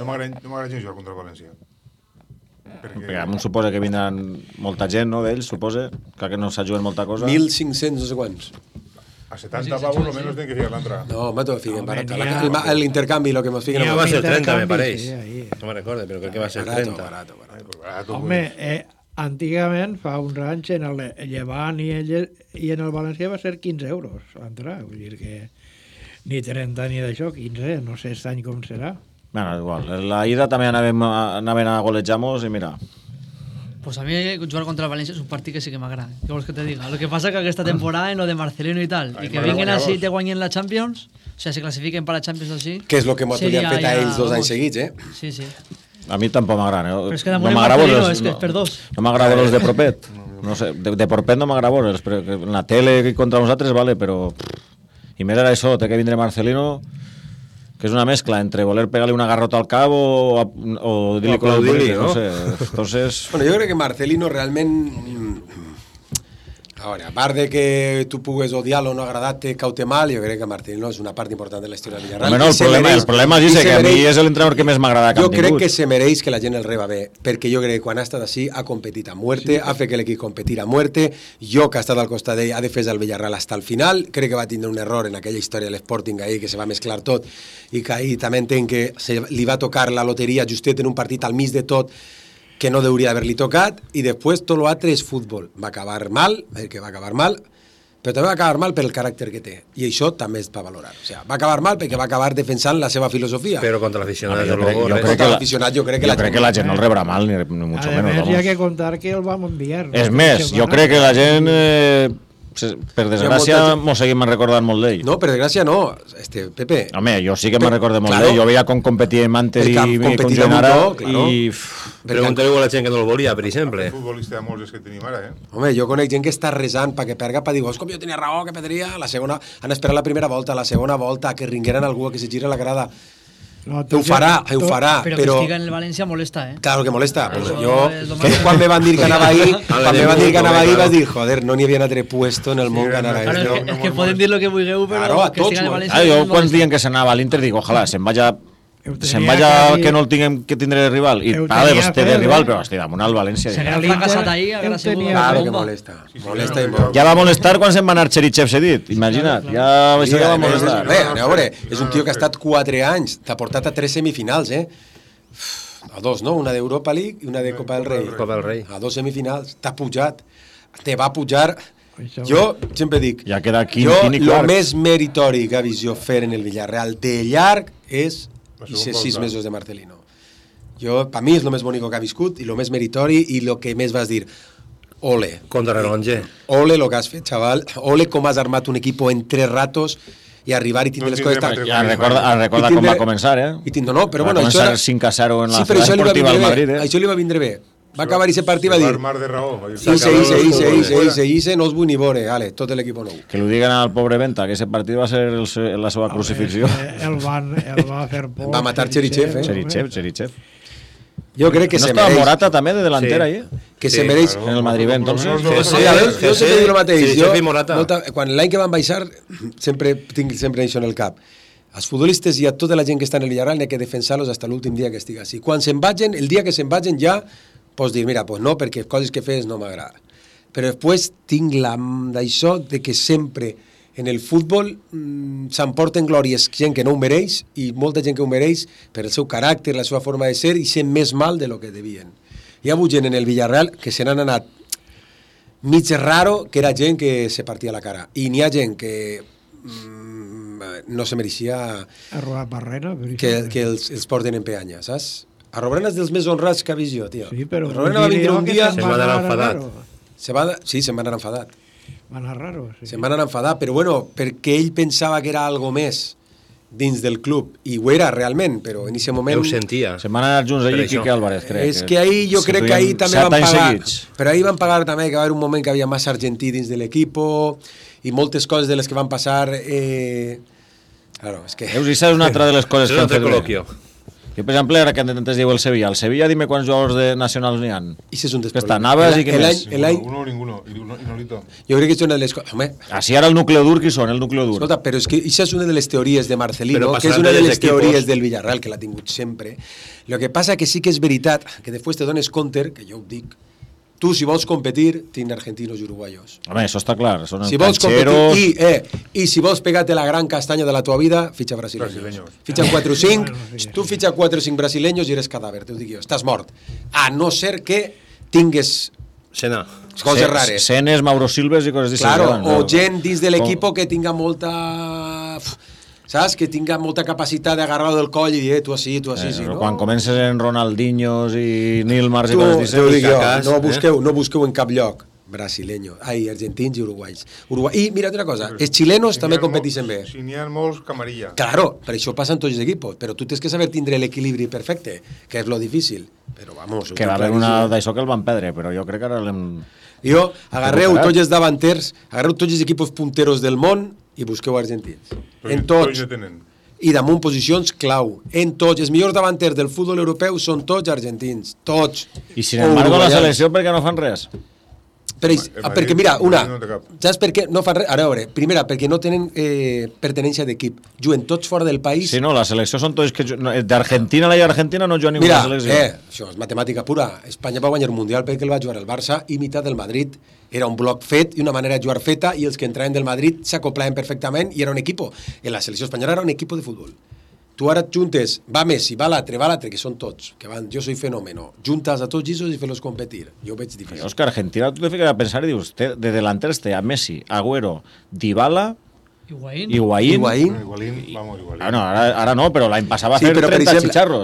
No m'agrada gens jugar contra el València. Perquè a mi suposa que vindran molta gent, no, d'ells, suposa, que no s'ajuden molta cosa. 1.500 no sé quants. A 70 pavos lo menos tiene que fijar la entrada. No, me tengo que fijar barato. El intercambio, lo que nos fijen. No va a ser 30, me parece. No me recuerdo, pero creo que va a ser 30. Barato. Home, antigament, fa uns anys, en el Llevant i en el València va ser 15 euros l'entrada. Vull dir que ni 30 ni d'això, 15, no sé aquest any com serà. Bueno, igual. La ida també anaven a golejar-nos i mira... Pues a mí jugar contra el Valencia es un partido que sí que me agrada. ¿Qué vols que te diga? Lo que pasa es que esta temporada en lo de Marcelino y tal, y que vengan así y te guanyen la Champions, o sea, se clasifiquen para la Champions así. Que és el que m'ha fet a ells 2 anys seguits, Sí, sí. A mi tampoc m'agraden. Però és que damunt Marcelino, és que és per dos. No m'agraden els de propet. No sé, de propet no m'agraden els, però en la tele contra nosaltres, vale, però... I més era això, té que vindre Marcelino, que és una mescla entre voler pegar-li una garrota al cap o dir-li con el bonito, no sé. Entonces... Bueno, jo crec que Marcelino realment... Ahora, a part de que tu pugues odiar-lo o no agradar-te, caute mal, jo crec que Marcelino és una part important de la història del Villarreal. Bueno, el problema és que a mi és l'entrenador que més m'agrada que han tingut. Jo crec que se mereix que la gent el reba bé, perquè jo crec que quan ha estat així ha competit a muerte, ha fet que l'equip competir a muerte, jo que ha estat al costat d'ell ha defès el Villarreal hasta el final, crec que va tindre un error en aquella història de l'Sporting ahí, que se va mesclar tot, i que ahí també entenc que li va tocar la loteria justet en un partit al mig de tot, que no hauria d'haver-li tocat, i després tot l'altre és futbol. Va acabar mal, perquè va acabar mal, però també va acabar mal per el caràcter que té, i això també es va valorar. O sigui, va acabar mal perquè va acabar defensant la seva filosofia. Però contra l'aficionat, jo crec que la gent no el rebrà mal, ni mucho menos. A més, hi ha que contar que el vam enviar. És més, jo crec que la gent... Per desgràcia, m'ho seguim recordant molt d'ell. No, per desgràcia no, Pepe. Home, jo sí que me'n recordo molt d'ell. Jo veia com competia amb antes i com Genara. Pregunteu a la gent que no el volia, per exemple. El futbolista de molts és que tenim ara, Home, jo conec gent que està resant perquè perga, per dir, com jo tenia raó, que perdria. La segona, han esperat la primera volta, la segona volta, que ringueren algú, que se gira la grada. No, ho farà, però que estiga en el València molesta, Claro que molesta. Quan me van dir que anava ahí, vas dir, joder, no n'hi havia un altre puesto en el món que anava ahí. És que poden dir lo que vulgueu, però que estiga en el València. Jo quan diuen que s'anava a l'Inter dic, ojalà, se'n vaya que no el tinguem que tindre de rival, i pues té de rival, però estic damunt al València. S'ha fracassat ahí, haurà sigut claro que molesta i molt. Ja va molestar quan se'n va anar Cherichev cedit, imagina't, això ja va molestar. A veure, és un tio que ha estat 4 anys, t'ha portat a 3 semifinals, a 2, no? Una d'Europa League i una de Copa del Rei. A 2 semifinals, t'ha pujat, te va pujar. Jo sempre dic, el més meritori que ha vist jo fer en el Villarreal de llarg és 6 mesos de Marcelino. Per mi és el més bonic que ha viscut i el més meritori i el que més vas dir, ole. Contra Relonge. Ole lo que has fet, xaval. Ole com has armat un equip en 3 ratos i arribar i tindre les coses... Recorda com va començar, No, però bueno... Va començar 5-0 en la ciutat esportiva al Madrid, Això li va vindre bé. Va acabar aquest partit i va dir... Mar de raó. Ise, no us vull ni veure, ale, tot l'equip nou. Que li diguen al pobre Venta que aquest partit va ser la seva crucifixió. El va fer por. Va matar Cherichev, Cherichev. Jo crec que no se mereix... No estava Morata també de delantera ahí? Que se mereix... En el Madrid, entonces... Jo sempre dic el mateix. Quan l'any que van baixar, sempre tinc això en el cap. Els futbolistes i a tota la gent que està en el Villarreal n'hi ha que defensar-los fins l'últim dia que estigui així. Quan se'n vagin, el dia que se'n vagin ja pots dir, mira, pues no, perquè coses que fes no m'agrada. Però després tinc d'això de que sempre en el futbol s'emporten glòries gent que no ho mereix i molta gent que ho mereix per el seu caràcter, la seva forma de ser i sent més mal de lo que devien. Hi ha hagut gent en el Villarreal que se n'han anat mig raro, que era gent que se partia la cara. I n'hi ha gent que no se mereixia que els porten en peanya, saps? A Robrena és dels més honrats que ha vist jo, tio. Sí, però... Robrena va vindre un dia... Se'n va anar enfadat. Sí, se'n va anar enfadat. Va anar raro, sí. Se'n va anar enfadat, però bueno, perquè ell pensava que era algo més dins del club, i ho era realment, però en aquest moment... Ho sentia. Se'n van anar junts allí Quique Álvarez, crec. És que ahir jo crec que ahir també van pagar... Però ahir van pagar també que va haver un moment que havia massa argentí dins de l'equip i moltes coses de les que van passar... Claro, és que... Veus, això és una altra de les coses que han fet bé. Jo, per exemple, ara que antes diu el Sevilla. El Sevilla, dime quants jugadors de nacionals n'hi ha. I és un dels que està Navas i que més. Ninguno. Jo crec que és una de les coses... Així ara el núcleo dur, qui són, el núcleo dur? Escolta, però és que això és una de les teories de Marcelino, que és una de les teories del Villarreal, que l'ha tingut sempre. Lo que passa que sí que és veritat, que després te dones compte, que jo ho dic, tu, si vols competir, tens argentinos i uruguayos. Home, això està clar. Són si vols competir i si vols pegar-te la gran castanya de la tua vida, fitxa brasileños. Fitxa 4 o 5, tu fitxa 4 o 5 brasileños i eres cadàver, t'ho dic jo, estàs mort. A no ser que tingues coses rares. Senes, Mauro Silves i coses d'això. Claro, o gent dins de l'equip que tinga molta... saps? Que tinga molta capacitat d'agarrar-lo del coll i dir, tu així, sí, no? Quan comences en Ronaldinhos i Nilmars i coses d'això... No busqueu en cap lloc argentins i uruguais. I mira una cosa, els xilenos també competeixen bé. Si n'hi ha molts, camarilla. Claro, per això passa en tots els equipos, però tu tens que saber tindre l'equilibri perfecte, que és lo difícil. Però vamos... Que va haver una d'això que el van perdre, però jo crec que ara l'hem... Jo, agarreu tots els davanters, agarreu tots els equipos punteros del món i busqueu argentins. En tots. I damunt posicions clau. En tots. Els millors davanters del futbol europeu són tots argentins. Tots. I sin embargo la selecció perquè no fan res? Perquè mira, saps per què no fan res? A veure, primera, perquè no tenen pertenència d'equip. Juguen tots fora del país. Sí, no, la selecció són tots que... D'Argentina a l'Argentina no juga ninguna selecció. Mira, això és matemàtica pura. Espanya va guanyar el Mundial perquè el va jugar el Barça i meitat del Madrid. Era un bloc fet i una manera de jugar feta i els que entraven del Madrid s'acoplaven perfectament i era un equipo. En la selecció espanyola era un equipo de futbol. Tu ara juntes, va Messi, va l'altre, que són tots, que van, jo soy fenómeno, juntes a tots ells i fer-los competir. Jo ho veig difícil. És que Argentina, tu te fiques a pensar i dius, de delanters té a Messi, Agüero, Dybala, Higuaín. Higuaín, Bueno, ara no, però l'any passat va fer 30 xicharros.